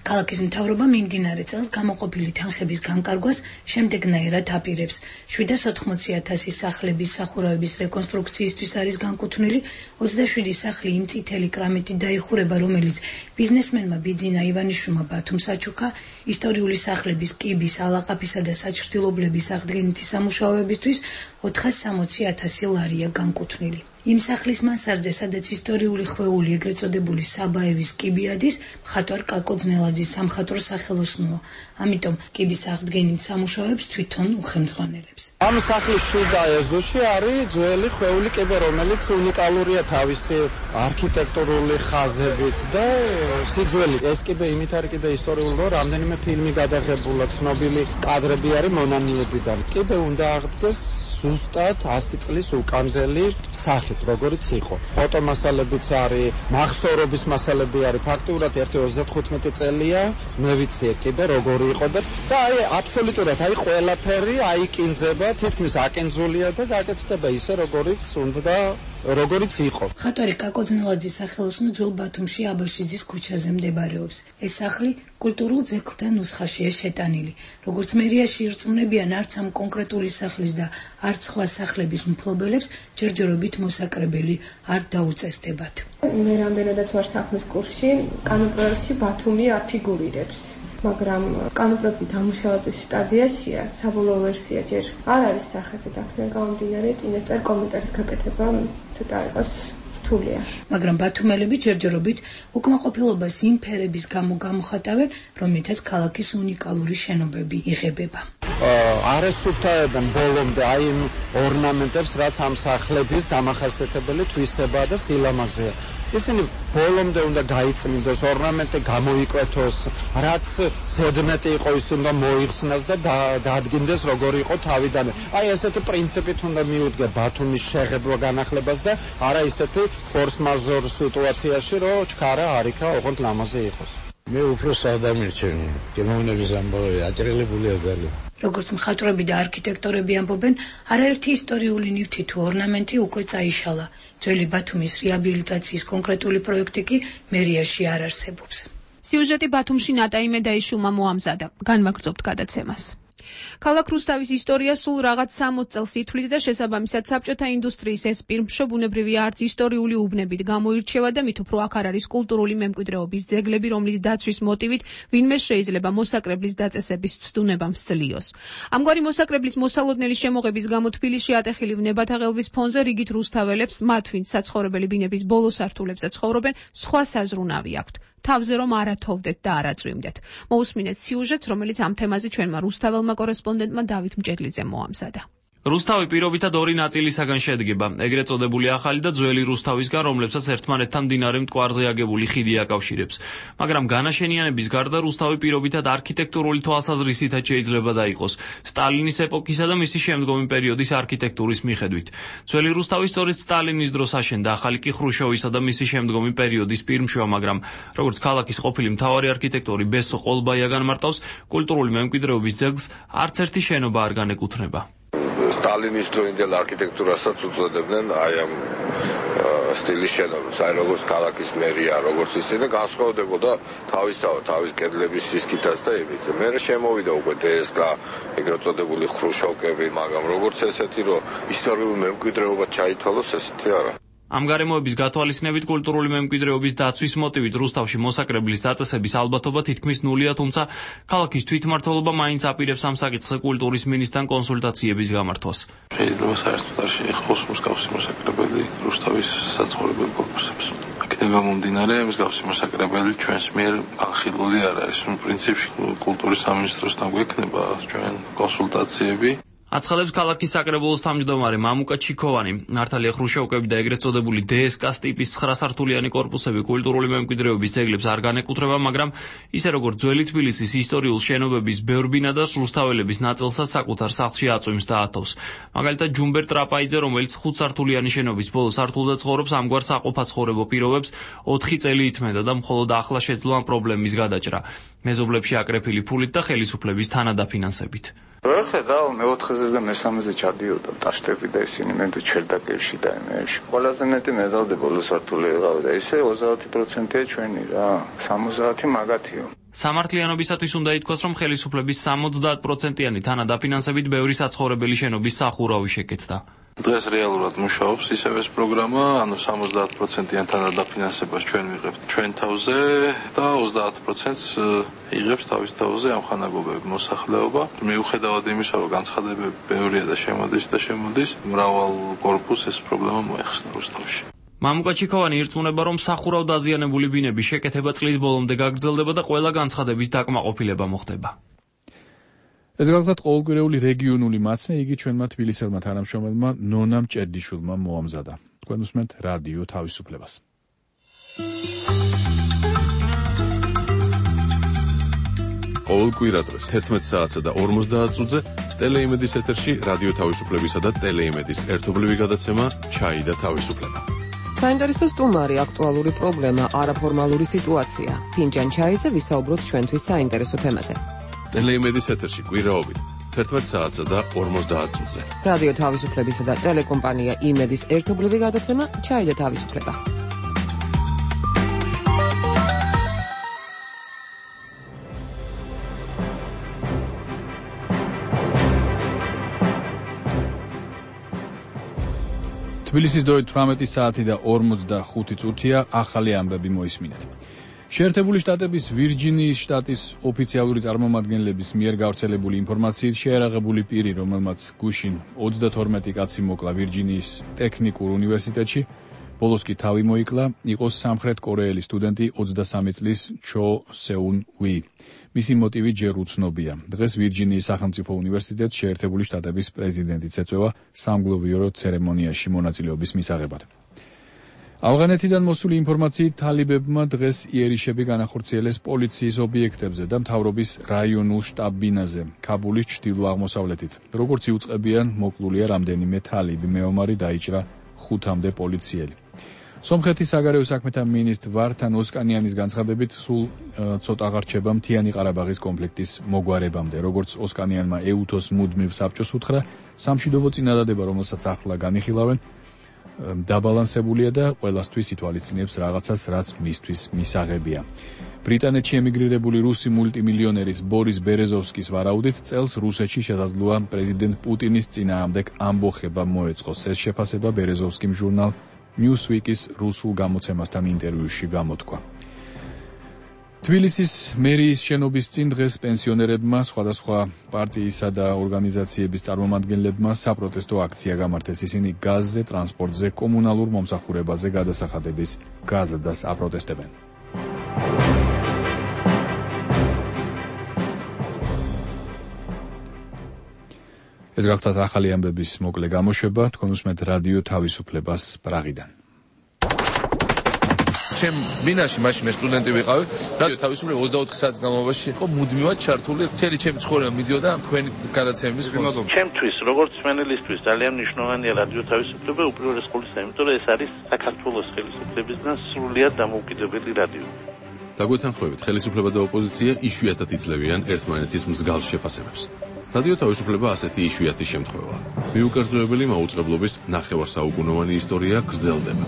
ქალაქის მთავრობა მიმდინარე წელს გამოყოფილი თანხების განკარგვას შემდეგნაირად აპირებს. შვიდას ოთხმოცი ათასი სახლების სახურავების რეკონსტრუქციისთვის არის განკუთვნილი ოცდაშვიდი სახლი იმ წითელი კრამიტით დაიხურება, რომელიც ბიზნესმენმა ბიძინა ივანიშვილმა ბათუმ საჩუქა ისტორიული სახლების კიბის, ალაყაფისა და საჩრდილობლების აღდგენითი სამუშაოებისთვის ოთხასი ათასი ლარია განკუთვნილი. იმ სახლის მანსარდზე, სადაც ისტორიული ხვეული, ეგრეთ წოდებული საბაევის კიბი ადის, მხატვარ კაკო ძნელაძის სამხატვრო სახელოსნოა. ამიტომ კიბის აღდგენით სამუშაოებს თვითონ უხელმძღვანელებს. ამ სახლის შიდა ეზოში არის ძველი ხვეული კიბე, რომელიც უნიკალურია თავისი არქიტექტურული ხაზებით და სიძველი. ეს კიბე იმით არის კიდე ისტორიული, რომ რამდენიმე ფილმი გადაღებულა, ცნობილი კადრები არის მონანიებიდან. კიბე უნდა აღდგეს ზუსტად ასი წლის უკანდელი სახით, როგორიც იყო. ფოტომასალებიც არის, მახსოვრობის მასალები არის, ფაქტიურად ერთი ოცდათხუთმეტი წელია, მე ვიცი კიბე როგორი იყო და და აი აბსოლუტურად აი ყველაფერი აიკინძება, თითქმის აკინძულია და გაკეთდება ისე როგორიც უნდა როგორიც იყო. მხატვარი კაკო ძნელაძის სახელოსნო ძველ ბათუმში აბაშიძის ქუჩაზე მდებარეობს. ეს სახლი კულტურულ ძეგლთა ნუსხაშია შეტანილი. როგორც მერიაში ირწმუნებიან, არც ამ კონკრეტული სახლის და არც სხვა სახლების მფლობელებს ჯერჯერობით მოსაკრებელი არ დაუწესდებათ. მე რამდენადაც ვარ საქმის კურსში, კანონპროექტში ბათუმი არ ფიგურირებს. მაგრამ კანონპროექტი დამუშავების სტადიაშია, საბოლოო ვერსია ჯერ არ არის სახეზე და აქედან გამომდინარე წინასწარ კომენტარის გაკეთება ცოტა იყოს რთულია. მაგრამ ბათუმელები ჯერჯერობით უკმაყოფილებას იმ ფერების გამო გამოხატავენ, რომლითაც ქალაქის უნიკალური შენობები იღებება. არ ესუფთავებენ ბოლომდე აი იმ ორნამენტებს, რაც ამ სახლების დამახასიათებელი თვისებაა და სილამაზეა. ისინი ბოლომდე უნდა გაიწმინდოს, ორნამენტი გამოიკვეთოს, რაც ზედმეტი იყო ის უნდა მოიხსნას და დაადგინდეს როგორი იყო თავიდან. აი ესეთი პრინციპით უნდა მიუდგე ბათუმის შეღებვა განახლებას და არა ისეთი ფორს მაჟორ სიტუაციაში, რომ ჩქარა არიქა ოღონდ ლამაზე იყოს. მე უფრო სადამირჩენია, გემოვნების ამბავი აჭრელებულია ძალიან. როგორც მხატვრები და არქიტექტორები ამბობენ, არაერთი ისტორიული ნივთი თუ ორნამენტი უკვე წაიშალა. ძველი ბათუმის რეაბილიტაციის კონკრეტული პროექტი კი მერიაში არ არსებობს. სიუჟეტი ბათუმში ნატა იმედაიშვილმა მოამზადა. განმაგრძობთ გადაცემას. ქალაქ რუსთავის ისტორია სულ რაღაც სამოცი წელს ითვლის და შესაბამისად საბჭოთა ინდუსტრიის ეს პირმშო ბუნებრივია არც ისტორიული უბნებით გამოირჩევა და მით უფრო აქ არ არის კულტურული მემკვიდრეობის ძეგლები, რომლის დაცვის მოტივით ვინმე შეიძლება მოსაკრებლის დაწესების ცდუნება მსწლიოს. ამგვარი მოსაკრებლის მოსალოდნელი შემოღების გამო თბილისში ატეხილი ვნებათაღელვის ფონზე რიგით რუსთაველებს, მათ ვინც საცხოვრებელი ბინების ბოლო სართულებზე ცხოვრობენ, სხვა საზრუნავი აქვთ. თავზე რომ არათოვდეთ და არაწვიმდეთ. მოусმინეთ სიუჟეტს, რომელიც ამ თემაზე ჩვენმა რუსთაველმა კორესპონდენტმა დავით მჭედლიძემ მოამზადა. რუსთავი პირობითად ორი ნაწილისაგან შედგება, ეგრეთ წოდებული ახალი და ძველი რუსთავისგან, რომლებსაც ერთმანეთთან მდინარე მტკვარზე აგებული ხიდი აკავშირებს. მაგრამ განაშენიანების გარდა რუსთავი პირობითად არქიტექტურული თვალსაზრისითაც შეიძლება დაიყოს სტალინის ეპოქისა და მისი შემდგომი პერიოდის არქიტექტურის მიხედვით. ძველი რუსთავი სწორედ სტალინის დროს აშენდა, ახალი კი ხრუშოვისა და მისი შემდგომი პერიოდის პირმშოა, მაგრამ როგორც ქალაქის ყოფილი მთავარი არქიტექტორი ბესო ყოლბაია განმარტავს, კულტურული მემკვიდრეობის ძეგლს არც ერთი შენობა არ განეკუთვნება. სტალინის დროინდელ არქიტექტურასაც უწოდებდნენ აი ამ სტილის შენობებს, აი როგორც ქალაქის მერია, როგორც ისე და განსხვავდებოდა თავისთავად თავის კედლების სისქითაც და იმით. მე შემოვიდა უკვე დე ეს კა ეგრეთ წოდებული ხრუშოვკები, მაგრამ როგორც ესეთი რომ ისტორიული მემკვიდრეობა ჩაითვალოს, ესეთი არა. ამ გარემოების გათვალისწინებით კულტურული მემკვიდრეობის დაცვის მოტივით რუსთავში მოსაკრებლის დაწესების ალბათობა თითქმის ნულია, თუმცა ქალაქის თვითმმართველობა მაინც აპირებს ამ საკითხზე კულტურის მინისტრთან კონსულტაციების გამართვას. შეიძლება საერთოდ არ შეეხოს მსგავსი მოსაკრებელი რუსთავის საცხოვრებელ კორპუსებს. აქედან გამომდინარე, მსგავსი მოსაკრებელი ჩვენს მიერ განხილული არ არის. პრინციპში კულტურის სამინისტროსთან გვექნება ჩვენ კონსულტაციები. აცხადებს ქალაქის საკრებულოს თავმჯდომარე მამუკა ჩიქოვანი. მართალია ხრუშოვკები და ეგრეთ წოდებული დე ეს კას ტიპის ცხრა სართულიანი კორპუსები კულტურული მემკვიდრეობის ძეგლებს არ განეკუთვნება, მაგრამ ისე როგორც ძველი თბილისის ისტორიულ შენობების ბევრ ბინადარს რუსთაველების ნაწილსაც საკუთარ სახლში აწვიმს და ათავს. მაგალითად ჯუმბერ ტრაპაიძე, რომელიც ხუთსართულიანი შენობის ბოლო სართულზე ცხოვრობს, ამგვარ საყოფაცხოვრებო პირობებს ოთხი წელი ითმენდა და მხოლოდ ახლა შეძლო ამ პრობლემის გადაჭრა. მეზობლებში აკრეფილი ფულით და ხელისუფლების თანადაფინანსებით. ვერ ხედავ მეოთხეზე და მესამეზე ჩადიოდა ტაშტები და ისინი მე თუ ჩერდაკებში და იმეებში. ყველაზე მეტი მეზალდე ბოლო სართული ეღავდა. ისე ოცდაათი პროცენტია ჩვენი რა. სამოცდაათი მაგათიო. სამართლიანობისათვის უნდა ითქვას, რომ ხელისუფლების სამოცდაათ პროცენტიანი თანადაფინანსებით ბევრი საცხოვრებელი შენობის სახურავი შეკეთდა. დღეს რეალურად მუშაობს ისევ ეს პროგრამა, ანუ სამოცდაათ პროცენტიან თანადაფინანსებას ჩვენ ვიღებთ ჩვენ თავზე და ოცდაათ პროცენტს იღებს თავის თავზე ამხანაგობები მოსახლეობა. მიუხედავად იმისა, რომ განცხადებები ბევრია და შემოდის და შემოდის, მრავალ კორპუსს ეს პრობლემა მოეხსნა რუსთავში. მამუკა ჩიქოვანი ირწმუნება, რომ სახურავ დაზიანებული ბინების შეკეთება წლის ბოლომდე გაგრძელდება და ყველა განცხადების დაკმაყოფილება მოხდება. ეს გახლავთ ყოველკვირეული რეგიონული მაცნე, იგი ჩვენმა თბილისელმა თანამშრომელმა ნონა მჭედიშვილმა მოამზადა. თქვენ უსმენთ რადიო თავისუფლებას. ყოველ კვირადღეს თერთმეტ საათსა და ორმოცდაათ წუთზე ტელეიმედის ეთერში რადიო თავისუფლებისა და ტელეიმედის ერთობლივი გადაცემა ჩაი და თავისუფლება. საინტერესო სტუმარი, აქტუალური პრობლემა, არაფორმალური სიტუაცია. ფინჯან ჩაიზე ვისაუბროთ ჩვენთვის საინტერესო თემაზე. ტელეიმედის ეთერში კვირაობით თერთმეტ საათსა და ორმოცდაათ წუთზე. რადიო თავისუფლებისა და ტელეკომპანია იმედის ერთობლივი გადაცემა ჩაი და თავისუფლება. თბილისის დროით თვრამეტი საათი და ორმოცდახუთი წუთია, ახალი ამბები მოისმინეთ. შეერთებული შტატების ვირჯინიის შტატის ოფიციალური წარმომადგენლების მიერ გავრცელებული ინფორმაციით შეერაღებული პირი, რომელმაც გუშინ ოცდათორმეტი კაცი მოკლა ვირჯინიის ტექნიკურ უნივერსიტეტში, ბოლოს კი თავი მოიკლა, იყო სამხრეთ კორეელი სტუდენტი ოცდასამი წლის ჩო სეუნ უი. მისი მოტივი ჯერ უცნობია. დღეს ვირჯინიის სახელმწიფო უნივერსიტეტს შეერთებული შტატების პრეზიდენტიც ეწევა სამგლოვიარო ცერემონიაში მონაწილეობის მისაღებად. ავღანეთიდან მოსული ინფორმაციით თალიბებმა დღეს იერიშები განახორციელეს პოლიციის ობიექტებზე და მთავრობის რაიონულ შტაბ-ბინაზე, ქაბულის ჩრდილო-აღმოსავლეთით. როგორც იუწყებიან, მოკლულია რამდენიმე თალიბი, მეომარი დაიჭრა ხუთამდე პოლიციელი. სომხეთის საგარეო საქმეთა მინისტრ ვართან ოსკანიანის განცხადებით, სულ ცოტა აღარჩება მთიანი ყარაბაღის კონფლიქტის მოგვარებამდე. როგორც ოსკანიანმა ეუთოს მუდმივ საბჭოს უთხრა, სამშვიდობო წინადადება, რომელსაც ახლა განიხილავენ, დაბალანსებულია და ყველასთვის ითვალისწინებს რაღაცას, რაც მისთვის მისაღებია. ბრიტანეთში ემიგრირებული რუსი მულტიმილიონერის ბორის ბერეზოვსკის ვარაუდით, წელს რუსეთში შესაძლოა პრეზიდენტ პუტინის წინააღმდეგ ამბოხება მოეწყოს. ეს შეფასება ბერეზოვსკიმ ჟურნალ Newsweek-ის რუსულ გამოცემასთან ინტერვიუში გამოთქვა. თბილისის მერიის შენობის წინ დღეს პენსიონერებმა, სხვადასხვა პარტიისა და ორგანიზაციების წარმომადგენლებმა საპროტესტო აქცია გამართეს. ისინი გაზზე, ტრანსპორტზე, კომუნალურ მომსახურებაზე გადასახადების გაზრდას აპროტესტებენ. ეს გახლავთ ახალი ამბების მოკლე გამოშვება, თქვენ უსმენთ რადიო თავისუფლებას პრაღიდან. ჩემ ბინაში მაშინ მე სტუდენტი ვიყავი, რადიო თავისუფლება ოცდაოთხ საათის განმავლობაში იყო მუდმივად ჩართული, მთელი ჩემი ცხოვრება მიდიოდა თქვენი გადაცემების ხოლმე. ჩემთვის, როგორც მენელისთვის ძალიან მნიშვნელოვანია რადიო თავისუფლება, უპირველეს ყოვლისა, იმიტომ რომ ეს არის საქართველოს ხელისუფლებისგან სრულიად დამოუკიდებელი რადიო. დაგვეთანხმებით, ხელისუფლება და ოპოზიცია იშვიათად იძლევიან ერთმანეთის მსგავს შეფასებებს. რადიო თავისუფლება ასეთი იშვიათი შემთხვევაა. მიუკერძოებელი მაუწყებლობის ნახევარსაუკუნოვანი ისტორია გრძელდება.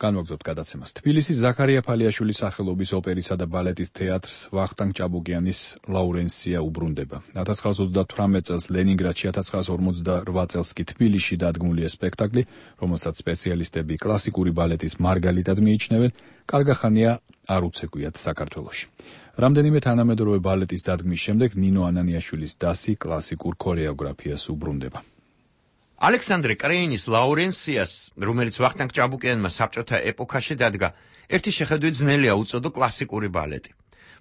განვაგრძობთ გადაცემას. თბილისის ზაქარია ფალიაშვილის სახელობის ოპერისა და ბალეტის თეატრს ვახტანგ ჭაბუკიანის ლაურენსია უბრუნდება. ათას ცხრაას ოცდათვრამეტ წელს ლენინგრადში, ათას ცხრაას ორმოცდარვა წელს კი თბილისში დადგმულია სპექტაკლი, რომელსაც სპეციალისტები კლასიკური ბალეტის მარგალიტად მიიჩნევენ, კარგახანია არ უცეკვიათ საქართველოში. რამდენიმე თანამედროვე ბალეტის დადგმის შემდეგ ნინო ანანიაშვილის დასი კლასიკურ ქორეოგრაფიას უბრუნდება. ალექსანდრე კრეინის ლაურენსიას, რომელიც ვახტანგ ჭაბუკიანმა საბჭოთა ეპოქაში დადგა, ერთი შეხედვით ძნელია უწოდო კლასიკური ბალეტი.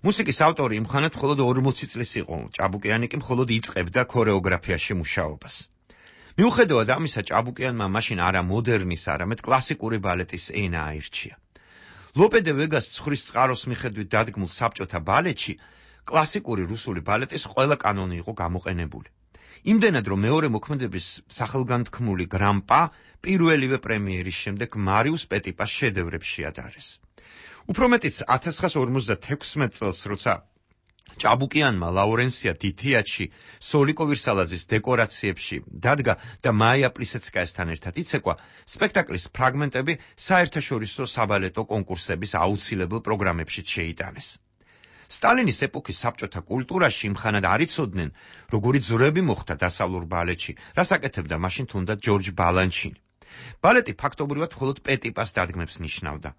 მუსიკის ავტორი იმხანად მხოლოდ ორმოცი წლის იყო, ჭაბუკიანი კი მხოლოდ იწყებდა ქორეოგრაფიაში მუშაობას. მიუხედავად ამისა, ჭაბუკიანმა მაშინ არა მოდერნის, არამედ კლასიკური ბალეტის ენა აირჩია. ლოპე დე ვეგას ცხრის წყაროს მიხედვით დადგმულ საბჭოთა ბალეტში კლასიკური რუსული ბალეტის ყველა კანონი იყო გამოყენებული. იმდენად, რომ მეორე მოქმედების სახელგანთქმული გრამპა პირველივე პრემიერის შემდეგ მარიუს პეტიპას შედევრებს შეადარეს. უფრო მეტიც ათას ცხრაას ორმოცდათექვსმეტ წელს, როცა ჭაბუკიანმა ლაურენსია დიდიათში, სოლიკო ვირსალაძის დეკორაციებში დადგა და მაია პლისეცკაესთან ერთად იცეკვა სპექტაკლის ფრაგმენტები საერთაშორისო საბალეტო კონკურსების აუცილებელ პროგრამებში შეიტანეს. სტალინის ეპოქის საბჭოთა კულტურაში იმხანად არ იცოდნენ, როგორი ძვრები მოხდა დასავლურ ბალეტში, რას აკეთებდა მაშინ თუნდაც ჯორჯ ბალანჩინი. ბალეტი ფაქტობრივად მხოლოდ პეტიპას დადგმებს ნიშნავდა.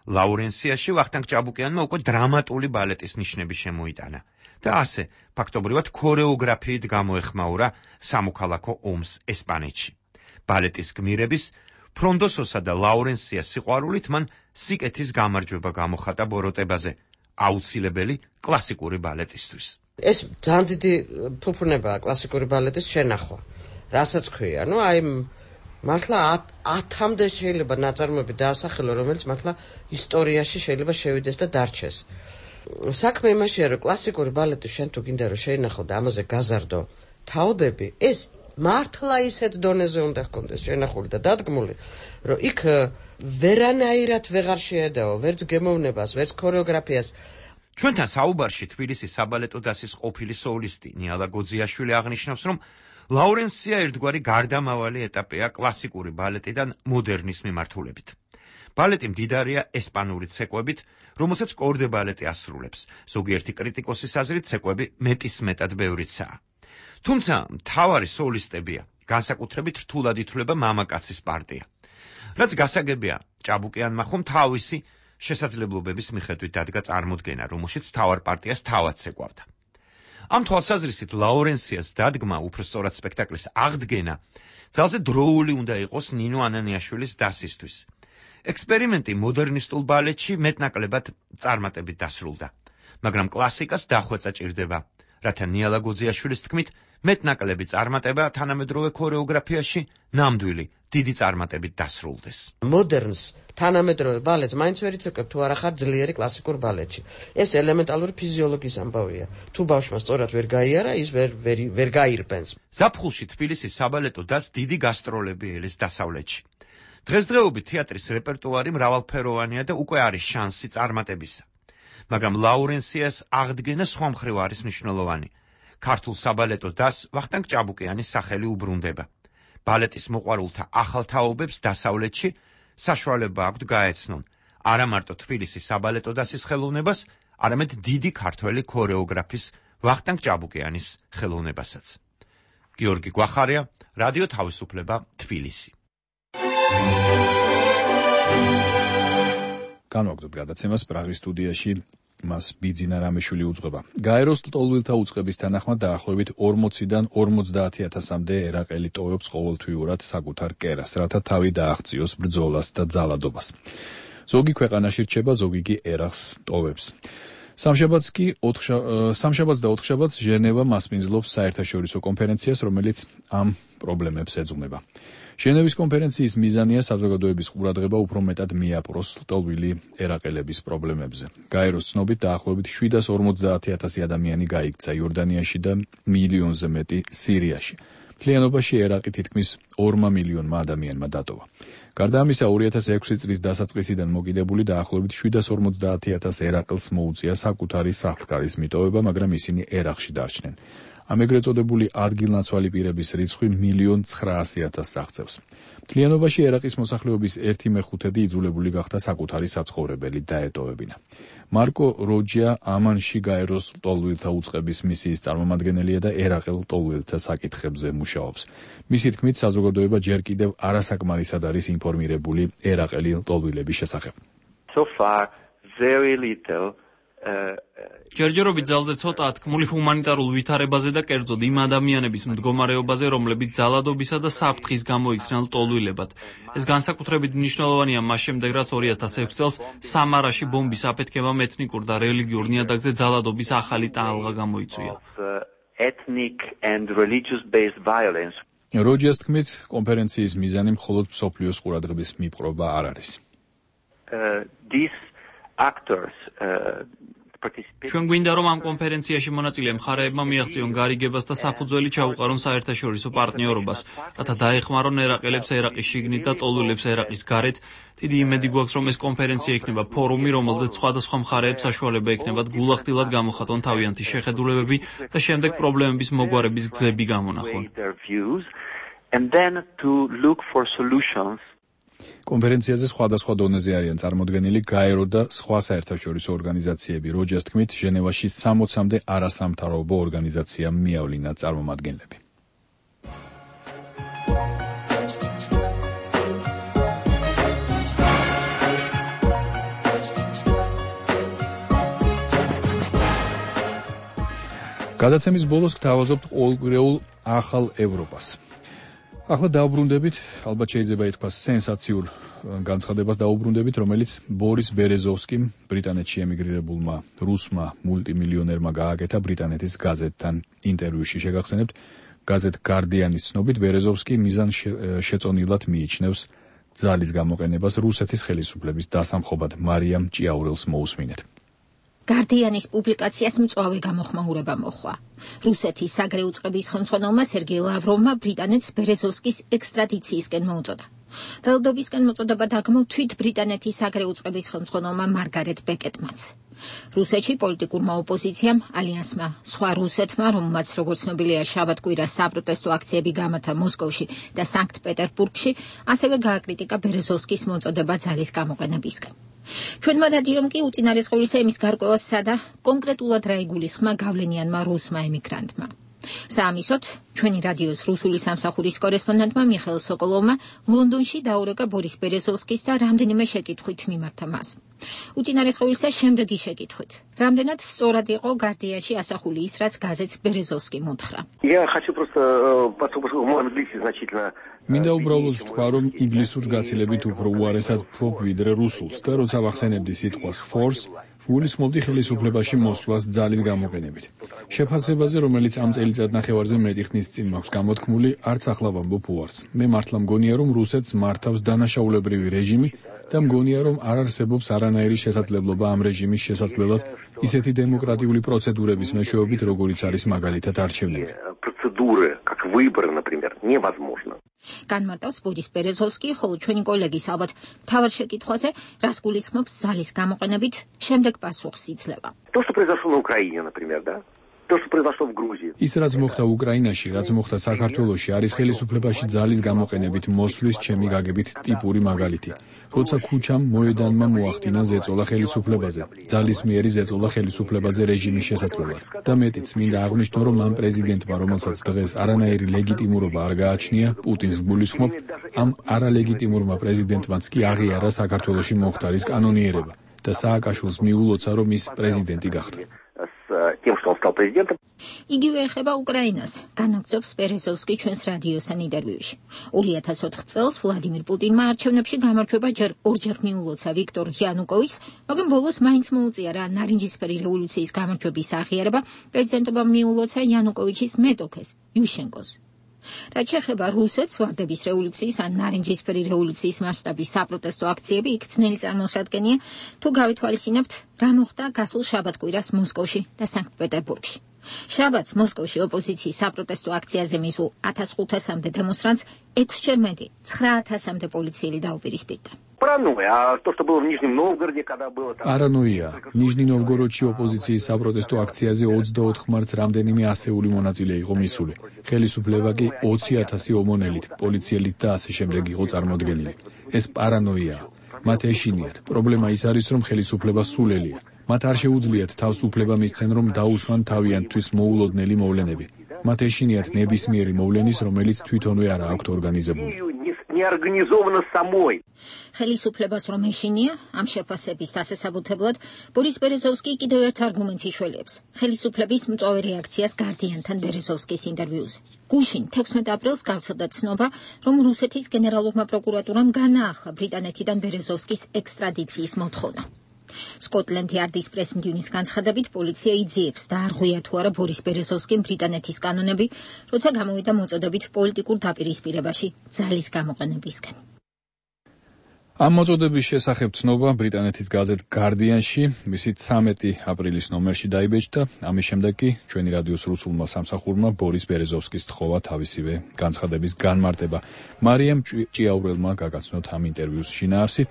ლაურენსიაში ვახტანგ ჭაბუკიანმა უკვე დრამატული ბალეტის ნიშნები შემოიტანა და ასე ფაქტობრივად ქორეოგრაფიით გამოეხმაურა სამოქალაქო ომს ესპანეთში. ბალეტის გმირების, ფრონდოსოსა და ლაურენსიას სიყვარულით მან სიკეთის გამარჯვება გამოხატა ბოროტებაზე, აუცილებელი კლასიკური ბალეტისთვის. ეს ძალიან დიდი ფუფუნებაა კლასიკური ბალეტის შენახვა. რასაც ქვია, ну აი მართლა ათამდე შეიძლება ნაწარმოები დაასახელო, რომელიც მართლა ისტორიაში შეიძლება შევიდეს და დარჩეს. საქმე იმაშია, რომ კლასიკური ბალეტი შენ თუ გინდა რომ შეინახო და ამაზე გაზარდო თაობები, ეს მართლა ისეთ დონეზე უნდა ჰქონდეს შენახული და დადგმული, რომ იქ ვერანაირად ვეღარ შეედაო, ვერც გემოვნებას, ვერც ქორეოგრაფიას. ჩვენთან საუბარში თბილისის საბალეტო დასის ყოფილი სოლისტი ნიალა გოძიაშვილი აღნიშნავს, რომ ლაურენსია ერთგვარი გარდამავალი ეტაპია კლასიკური ბალეტიდან მოდერნის მიმართულებით. ბალეტი მდიდარია ესპანური ცეკვებით, რომელსაც კორდე ბალეტი ასრულებს. ზოგიერთი კრიტიკოსის აზრით ცეკვები მეტისმეტად ბევრიცაა. თუმცა მთავარი სოლისტებია, განსაკუთრებით რთულად ითვლება მამაკაცის პარტია. რაც გასაგებია, ჭაბუკიანმა ხომ თავისი შესაძლებლობების მიხედვით დადგა წარმოდგენა, რომელშიც მთავარ პარტიას თავად ცეკვავდა. ამ თვალსაზრისით ლაურენსიას დადგმა, უფრო სწორად სპექტაკლის აღდგენა, ძალზე დროული უნდა იყოს ნინო ანანიაშვილის დასისთვის. ექსპერიმენტი მოდერნისტულ ბალეტში მეტნაკლებად წარმატებით დასრულდა, მაგრამ კლასიკას დახვეწა ჭირდება, რათა ნიალა გოძიაშვილის თქმით, მეტნაკლები წარმატება თანამედროვე ქორეოგრაფიაში ნამდვილი დიდი წარმატებით დასრულდეს. მოდერნს თანამედროვე ბალეტს მაინც ვერ იცეკვებ თუ არა ხარ ძლიერი კლასიკურ ბალეტში. ეს ელემენტალური ფიზიოლოგიის ამბავია. თუ ბავშვმა სწორად ვერ გაიარა, ის ვერ ვერ, ვერ გაირბენს. ზაფხულში თბილისის საბალეტო დასს დიდი გასტროლები ელის დასავლეთში. დღესდღეობით თეატრის რეპერტუარი მრავალფეროვანია და უკვე არის შანსი წარმატებისა. მაგრამ ლაურენსიას აღდგენა სხვა მხრივ არის მნიშვნელოვანი. ქართულ საბალეტო დასს ვახტანგ ჭაბუკიანის სახელი უბრუნდება. ბალეტის მოყვარულთა ახალ თაობებს დასავლეთში საშუალება აქვთ გაეცნონ არა მარტო თბილისის საბალეტო დასის ხელოვნებას, არამედ დიდი ქართველი ქორეოგრაფის ვახტანგ ჭაბუკიანის ხელოვნებასაც. გიორგი გვახარია, რადიო თავისუფლება, თბილისი. განვაგრძობთ გადაცემას პრაღის სტუდიაში მას ბიძინა რამეშვილი უძღვება. გაეროს ტოლვილთა უწყების თანახმად დაახლოებით ორმოციდან ორმოცდაათი ათასამდე ერაყელი ტოვებს ყოველთვიურად საკუთარ კერას, რათა თავი დააღწიოს ბრძოლას და ძალადობას. ზოგი ქვეყანაში რჩება, ზოგი კი ერახს ტოვებს. სამშაბათს კი სამშაბათს და ოთხშაბათს ჟენევა მასპინძლობს საერთაშორისო კონფერენციას, რომელიც ამ პრობლემებს ეძღვნება. ჟენევის კონფერენციის მიზანია საზოგადოების ყურადღება უფრო მეტად მიაპყროს ლტოლვილი ერაყელების პრობლემებზე. გაეროს ცნობით დაახლოებით შვიდას ორმოცდაათი ათასი ადამიანი გაიქცა იორდანიაში და მილიონზე მეტი სირიაში. მთლიანობაში ერაყი თითქმის ორმა მილიონმა ადამიანმა დატოვა. გარდა ამისა, ორი ათას ექვსი წლის დასაწყისიდან მოკიდებული დაახლოებით შვიდას ორმოცდაათი ათას ერაყელს მოუწია საკუთარი სახლ-კარის მიტოვება, მაგრამ ისინი ერაყში დარჩნენ. ამ ეგრეთ წოდებული ადგილნაცვალი პირების რიცხვი მილიონ ცხრაასი ათასს აღწევს. მთლიანობაში ერაყის მოსახლეობის ერთი მეხუთედი იძულებული გახდა საკუთარი საცხოვრებელი დაეტოვებინა. მარკო როჯია ამანში გაეროს ლტოლვილთა უწყების მისიის წარმომადგენელია და ერაყელ ლტოლვილთა საკითხებზე მუშაობს. მისი თქმით, საზოგადოება ჯერ კიდევ არასაკმარისად არის ინფორმირებული ერაყელი ლტოლვილების შესახებ. So far very little ჯერჯერობით ძალზე ცოტაა თქმული ჰუმანიტარულ ვითარებაზე და კერძოდ იმ ადამიანების მდგომარეობაზე, რომლებიც ძალადობისა და საფრთხის გამო იქცნენ ლტოლვილებად. ეს განსაკუთრებით მნიშვნელოვანია მას შემდეგ, რაც ორი ათას ექვსი წელს სამარაში ბომბის აფეთქებამ ეთნიკურ და რელიგიურ ნიადაგზე ძალადობის ახალი ტალღა გამოიწვია. ethnic and religious based violence. როჯიას თქმით, კონფერენციის მიზანი მხოლოდ მსოფლიოს ყურადღების მიპყრობა არ არის. Uh, these actors uh, ჩვენ გვინდა რომ ამ კონფერენციაში მონაწილე მხარეებმა მიაღწიონ გარიგებას და საფუძველი ჩაუყარონ საერთაშორისო პარტნიორობას, რათა დაეხმარონ ერაყელებს ერაყის შიგნით და ტოლვილებს ერაყის გარეთ. დიდი იმედი გვაქვს, რომ ეს კონფერენცია იქნება ფორუმი, რომელზეც სხვადასხვა მხარეებს საშუალება ექნებათ გულახდილად გამოხატონ თავიანთი შეხედულებები და შემდეგ პრობლემების მოგვარების გზები გამონახონ. And then to look for solutions. კონფერენციაზე სხვადასხვა დონეზე არიან წარმოდგენილი გაერო და სხვა საერთაშორისო ორგანიზაციები. როჯერს თქმით, ჟენევაში სამოცამდე არასამთავრობო ორგანიზაციამ მიავლინა წარმომადგენლები. გადაცემის ბოლოს გთავაზობთ ყოველკვირეულ ახალ ევროპას. ახლა დაუბრუნდებით, ალბათ შეიძლება ითქვას სენსაციურ განცხადებას დაუბრუნდებით, რომელიც ბორის ბერეზოვსკიმ, ბრიტანეთში ემიგრირებულმა რუსმა მულტიმილიონერმა გააკეთა ბრიტანეთის გაზეთთან ინტერვიუში. შეგახსენებთ, გაზეთ გარდიანის ცნობით, ბერეზოვსკი მიზან შეწონილად მიიჩნევს ძალის გამოყენებას რუსეთის ხელისუფლების დასამხობად. მარიამ ჭიაურელს მოусმინეთ. გარდიანის პუბლიკაციას მწვავე გამოხმაურება მოჰყვა. რუსეთის საგარეო წყების ხელმძღვანელმა სერგეი ლავროვმა ბრიტანეთს ბერეზოვსკის ექსტრადიციისკენ მოუწოდა. ძალადობისკენ მოწოდება დაგმო თვით ბრიტანეთის საგარეო წყების ხელმძღვანელმა მარგარეტ ბეკეტმანს. რუსეთში პოლიტიკურმა ოპოზიციამ, ალიანსმა, სხვა რუსეთმა, რომელმაც როგორც ცნობილია შაბათ-კვირას საპროტესტო აქციები გამართა მოსკოვში და სანქტ-პეტერბურგში, ასევე გააკრიტიკა ბერეზოვსკის მოწოდება ძალის გამოყენებისკენ. ჩვენმა რადიომ კი უწინარესყოლისა იმის გარკვევას სცადა კონკრეტულად რა იგულისხმა გავლენიანმა რუსმა ემიგრანტმა. საამისოდ, ჩვენი რადიოს რუსული სამსახურის კორესპონდენტმა მიხეილ სოკოლოვმა ლონდონში დაურეკა ბორის ბერეზოვსკის და რამდენიმე შეკითხვით მიმართა მას. უწინარესყოლისა შემდეგი შეკითხვით. რამდენად სწორად იყო გარდიანში ასახული ის, რაც გაზეთს ბერეზოვსკი მოთხრა. მინდა უბრალოდ თქვა, რომ ინგლისურს გაცილებით უფრო უარესად ვფლობ ვიდრე რუსულს და როცა ვახსენებდი სიტყვას force, გულისხმობდი ხელისუფლებაში მოსვლას ძალის გამოყენებით. შეფასებაზე, რომელიც ამ წელიწადნახევარზე მეტი ხნის წინ მაქვს გამოთქმული, არც ახლა ვამბობ უარს. მე მართლა მგონია, რომ რუსეთს მართავს დანაშაულებრივი რეჟიმი და მგონია, რომ არ არსებობს არანაირი შესაძლებლობა ამ რეჟიმის შესაძლებლად ისეთი დემოკრატიული პროცედურების მეშვეობით, როგორიც არის მაგალითად არჩევნები. განმარტავს ბორის ბერეზოვსკი, ხოლო ჩვენი კოლეგის ალბათ მთავარ შეკითხვაზე, რას გულისხმობს ძალის გამოყენებით, შემდეგ პასუხს იძლევა. ის რაც მოხდა უკრაინაში, რაც მოხდა საქართველოში, არის ხელისუფლებაში ძალის გამოყენებით მოსვლის ჩემი გაგებით ტიპური მაგალითი. როცა ქუჩამ მოედანმა მოახდინა ზეწოლა ხელისუფლებაზე, ძალის მიერი ზეწოლა ხელისუფლებაზე რეჟიმის შესაძლებლად. და მეტიც, მინდა აღვნიშნო, რომ ამ პრეზიდენტმა, რომელსაც დღეს არანაირი ლეგიტიმურობა არ გააჩნია, პუტინს ვგულისხმობ, ამ არალეგიტიმურმა პრეზიდენტმაც კი აღიარა საქართველოში მომხდარის კანონიერება და სააკაშვილს მიულოცა, რომ ის პრეზიდენტი გახდა. იგივე ეხება უკრაინას, განაგრძობს ბერეზოვსკი ჩვენს რადიოსთან ინტერვიუში. ორი ათას ოთხ წელს ვლადიმირ პუტინმა არჩევნებში გამარჯვება ჯერ ორჯერ მიულოცა ვიქტორ იანუკოვიჩს, მაგრამ ბოლოს მაინც მოუწია რა ნარინჯისფერი რევოლუციის გამარჯვების აღიარება პრეზიდენტობამ მიულოცა იანუკოვიჩის მეტოქეს, იუშენკოს. რაც შეეხება რუსეთს, ვარდების რევოლუციის ან ნარინჯისფერი რევოლუციის მასშტაბის საპროტესტო აქციები იქ ძნელი წარმოსადგენია, თუ გავითვალისწინებთ, რა მოხდა გასულ შაბათ-კვირას მოსკოვში და სანქტ-პეტერბურგში. შაბათს მოსკოვში ოპოზიციის საპროტესტო აქციაზე მისულ ათას ხუთასამდე დემონსტრანტს ექვსჯერ მეტი, ცხრა ათასამდე პოლიციელი დაუპირისპირდა. პარანოია. ნიჟნი-ნოვგოროდში ოპოზიციის საპროტესტო აქციაზე ოცდაოთხ მარტს რამდენიმე ასეული მონაწილე იყო მისული. ხელისუფლება კი ოცი ათასი ომონელით, პოლიციელით და ასე შემდეგ იყო წარმოდგენილი. ეს პარანოია. მათ ეშინიათ. პრობლემა ის არის, რომ ხელისუფლება სულელია. მათ არ შეუძლიათ თავს უფლება მისცენ, რომ დაუშვან თავიანთვის მოულოდნელი მოვლენები. მათ ეშინიათ ნებისმიერი მოვლენის, რომელიც თვითონვე არ აქვთ ორგანიზებული. ხელისუფლებას რომ ეშინია, ამ შეფასების დასასაბუთებლად ბორის ბერეზოვსკი კიდევ ერთ არგუმენტს იშველიებს. ხელისუფლების მწვავე რეაქციას გარდიანთან ბერეზოვსკის ინტერვიუზე. გუშინ თექვსმეტ აპრილს გავრცელდა ცნობა, რომ რუსეთის გენერალურმა პროკურატურამ განაახლა ბრიტანეთიდან ბერეზოვსკის ექსტრადიციის მოთხოვნა. სკოტლენდ იარდის პრეს-მდივნის განცხადებით, პოლიცია იძიებს და არ ღვია თუ არა ბორის ბერეზოვსკიმ ბრიტანეთის კანონები, როცა გამოვიდა მოწოდებით პოლიტიკურ დაპირისპირებაში ძალის გამოყენებისკენ. ამ მოწოდების შესახებ ცნობა ბრიტანეთის გაზეთ Guardian-ში, მისი ცამეტი აპრილის ნომერში დაიბეჭდა. ამის შემდეგ კი ჩვენი რადიოს რუსულმა სამსახურმა ბორის ბერეზოვსკის თხოვა თავისივე განცხადების განმარტება. მარიამ ჭიაურელმა გაგაცნოთ ამ ინტერვიუს შინაარსი.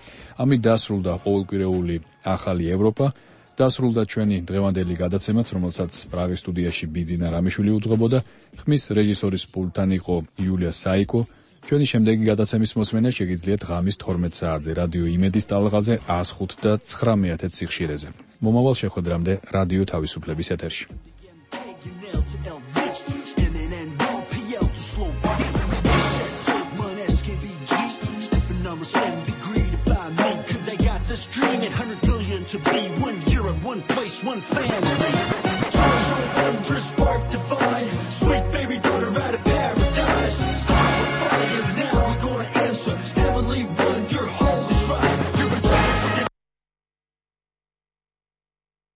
ამით დასრულდა ყოველკვირეული ახალი ევროპა. დასრულდა ჩვენი დღევანდელი გადაცემაც, რომელსაც პრაღის სტუდიაში ბიძინა რამიშვილი უძღვებოდა. ხმის რეჟისორის პულტთან იყო იულია საიკო. ჩვენი შემდეგი გადაცემის მოსმენა შეგიძლიათ ღამის თორმეტ საათზე რადიო იმედის ტალღაზე one oh five და nine სიხშირეზე. მომავალ შეხვედრამდე რადიო თავისუფლების ეთერში. To be one Europe, one place, one family. Charles Owen, spark to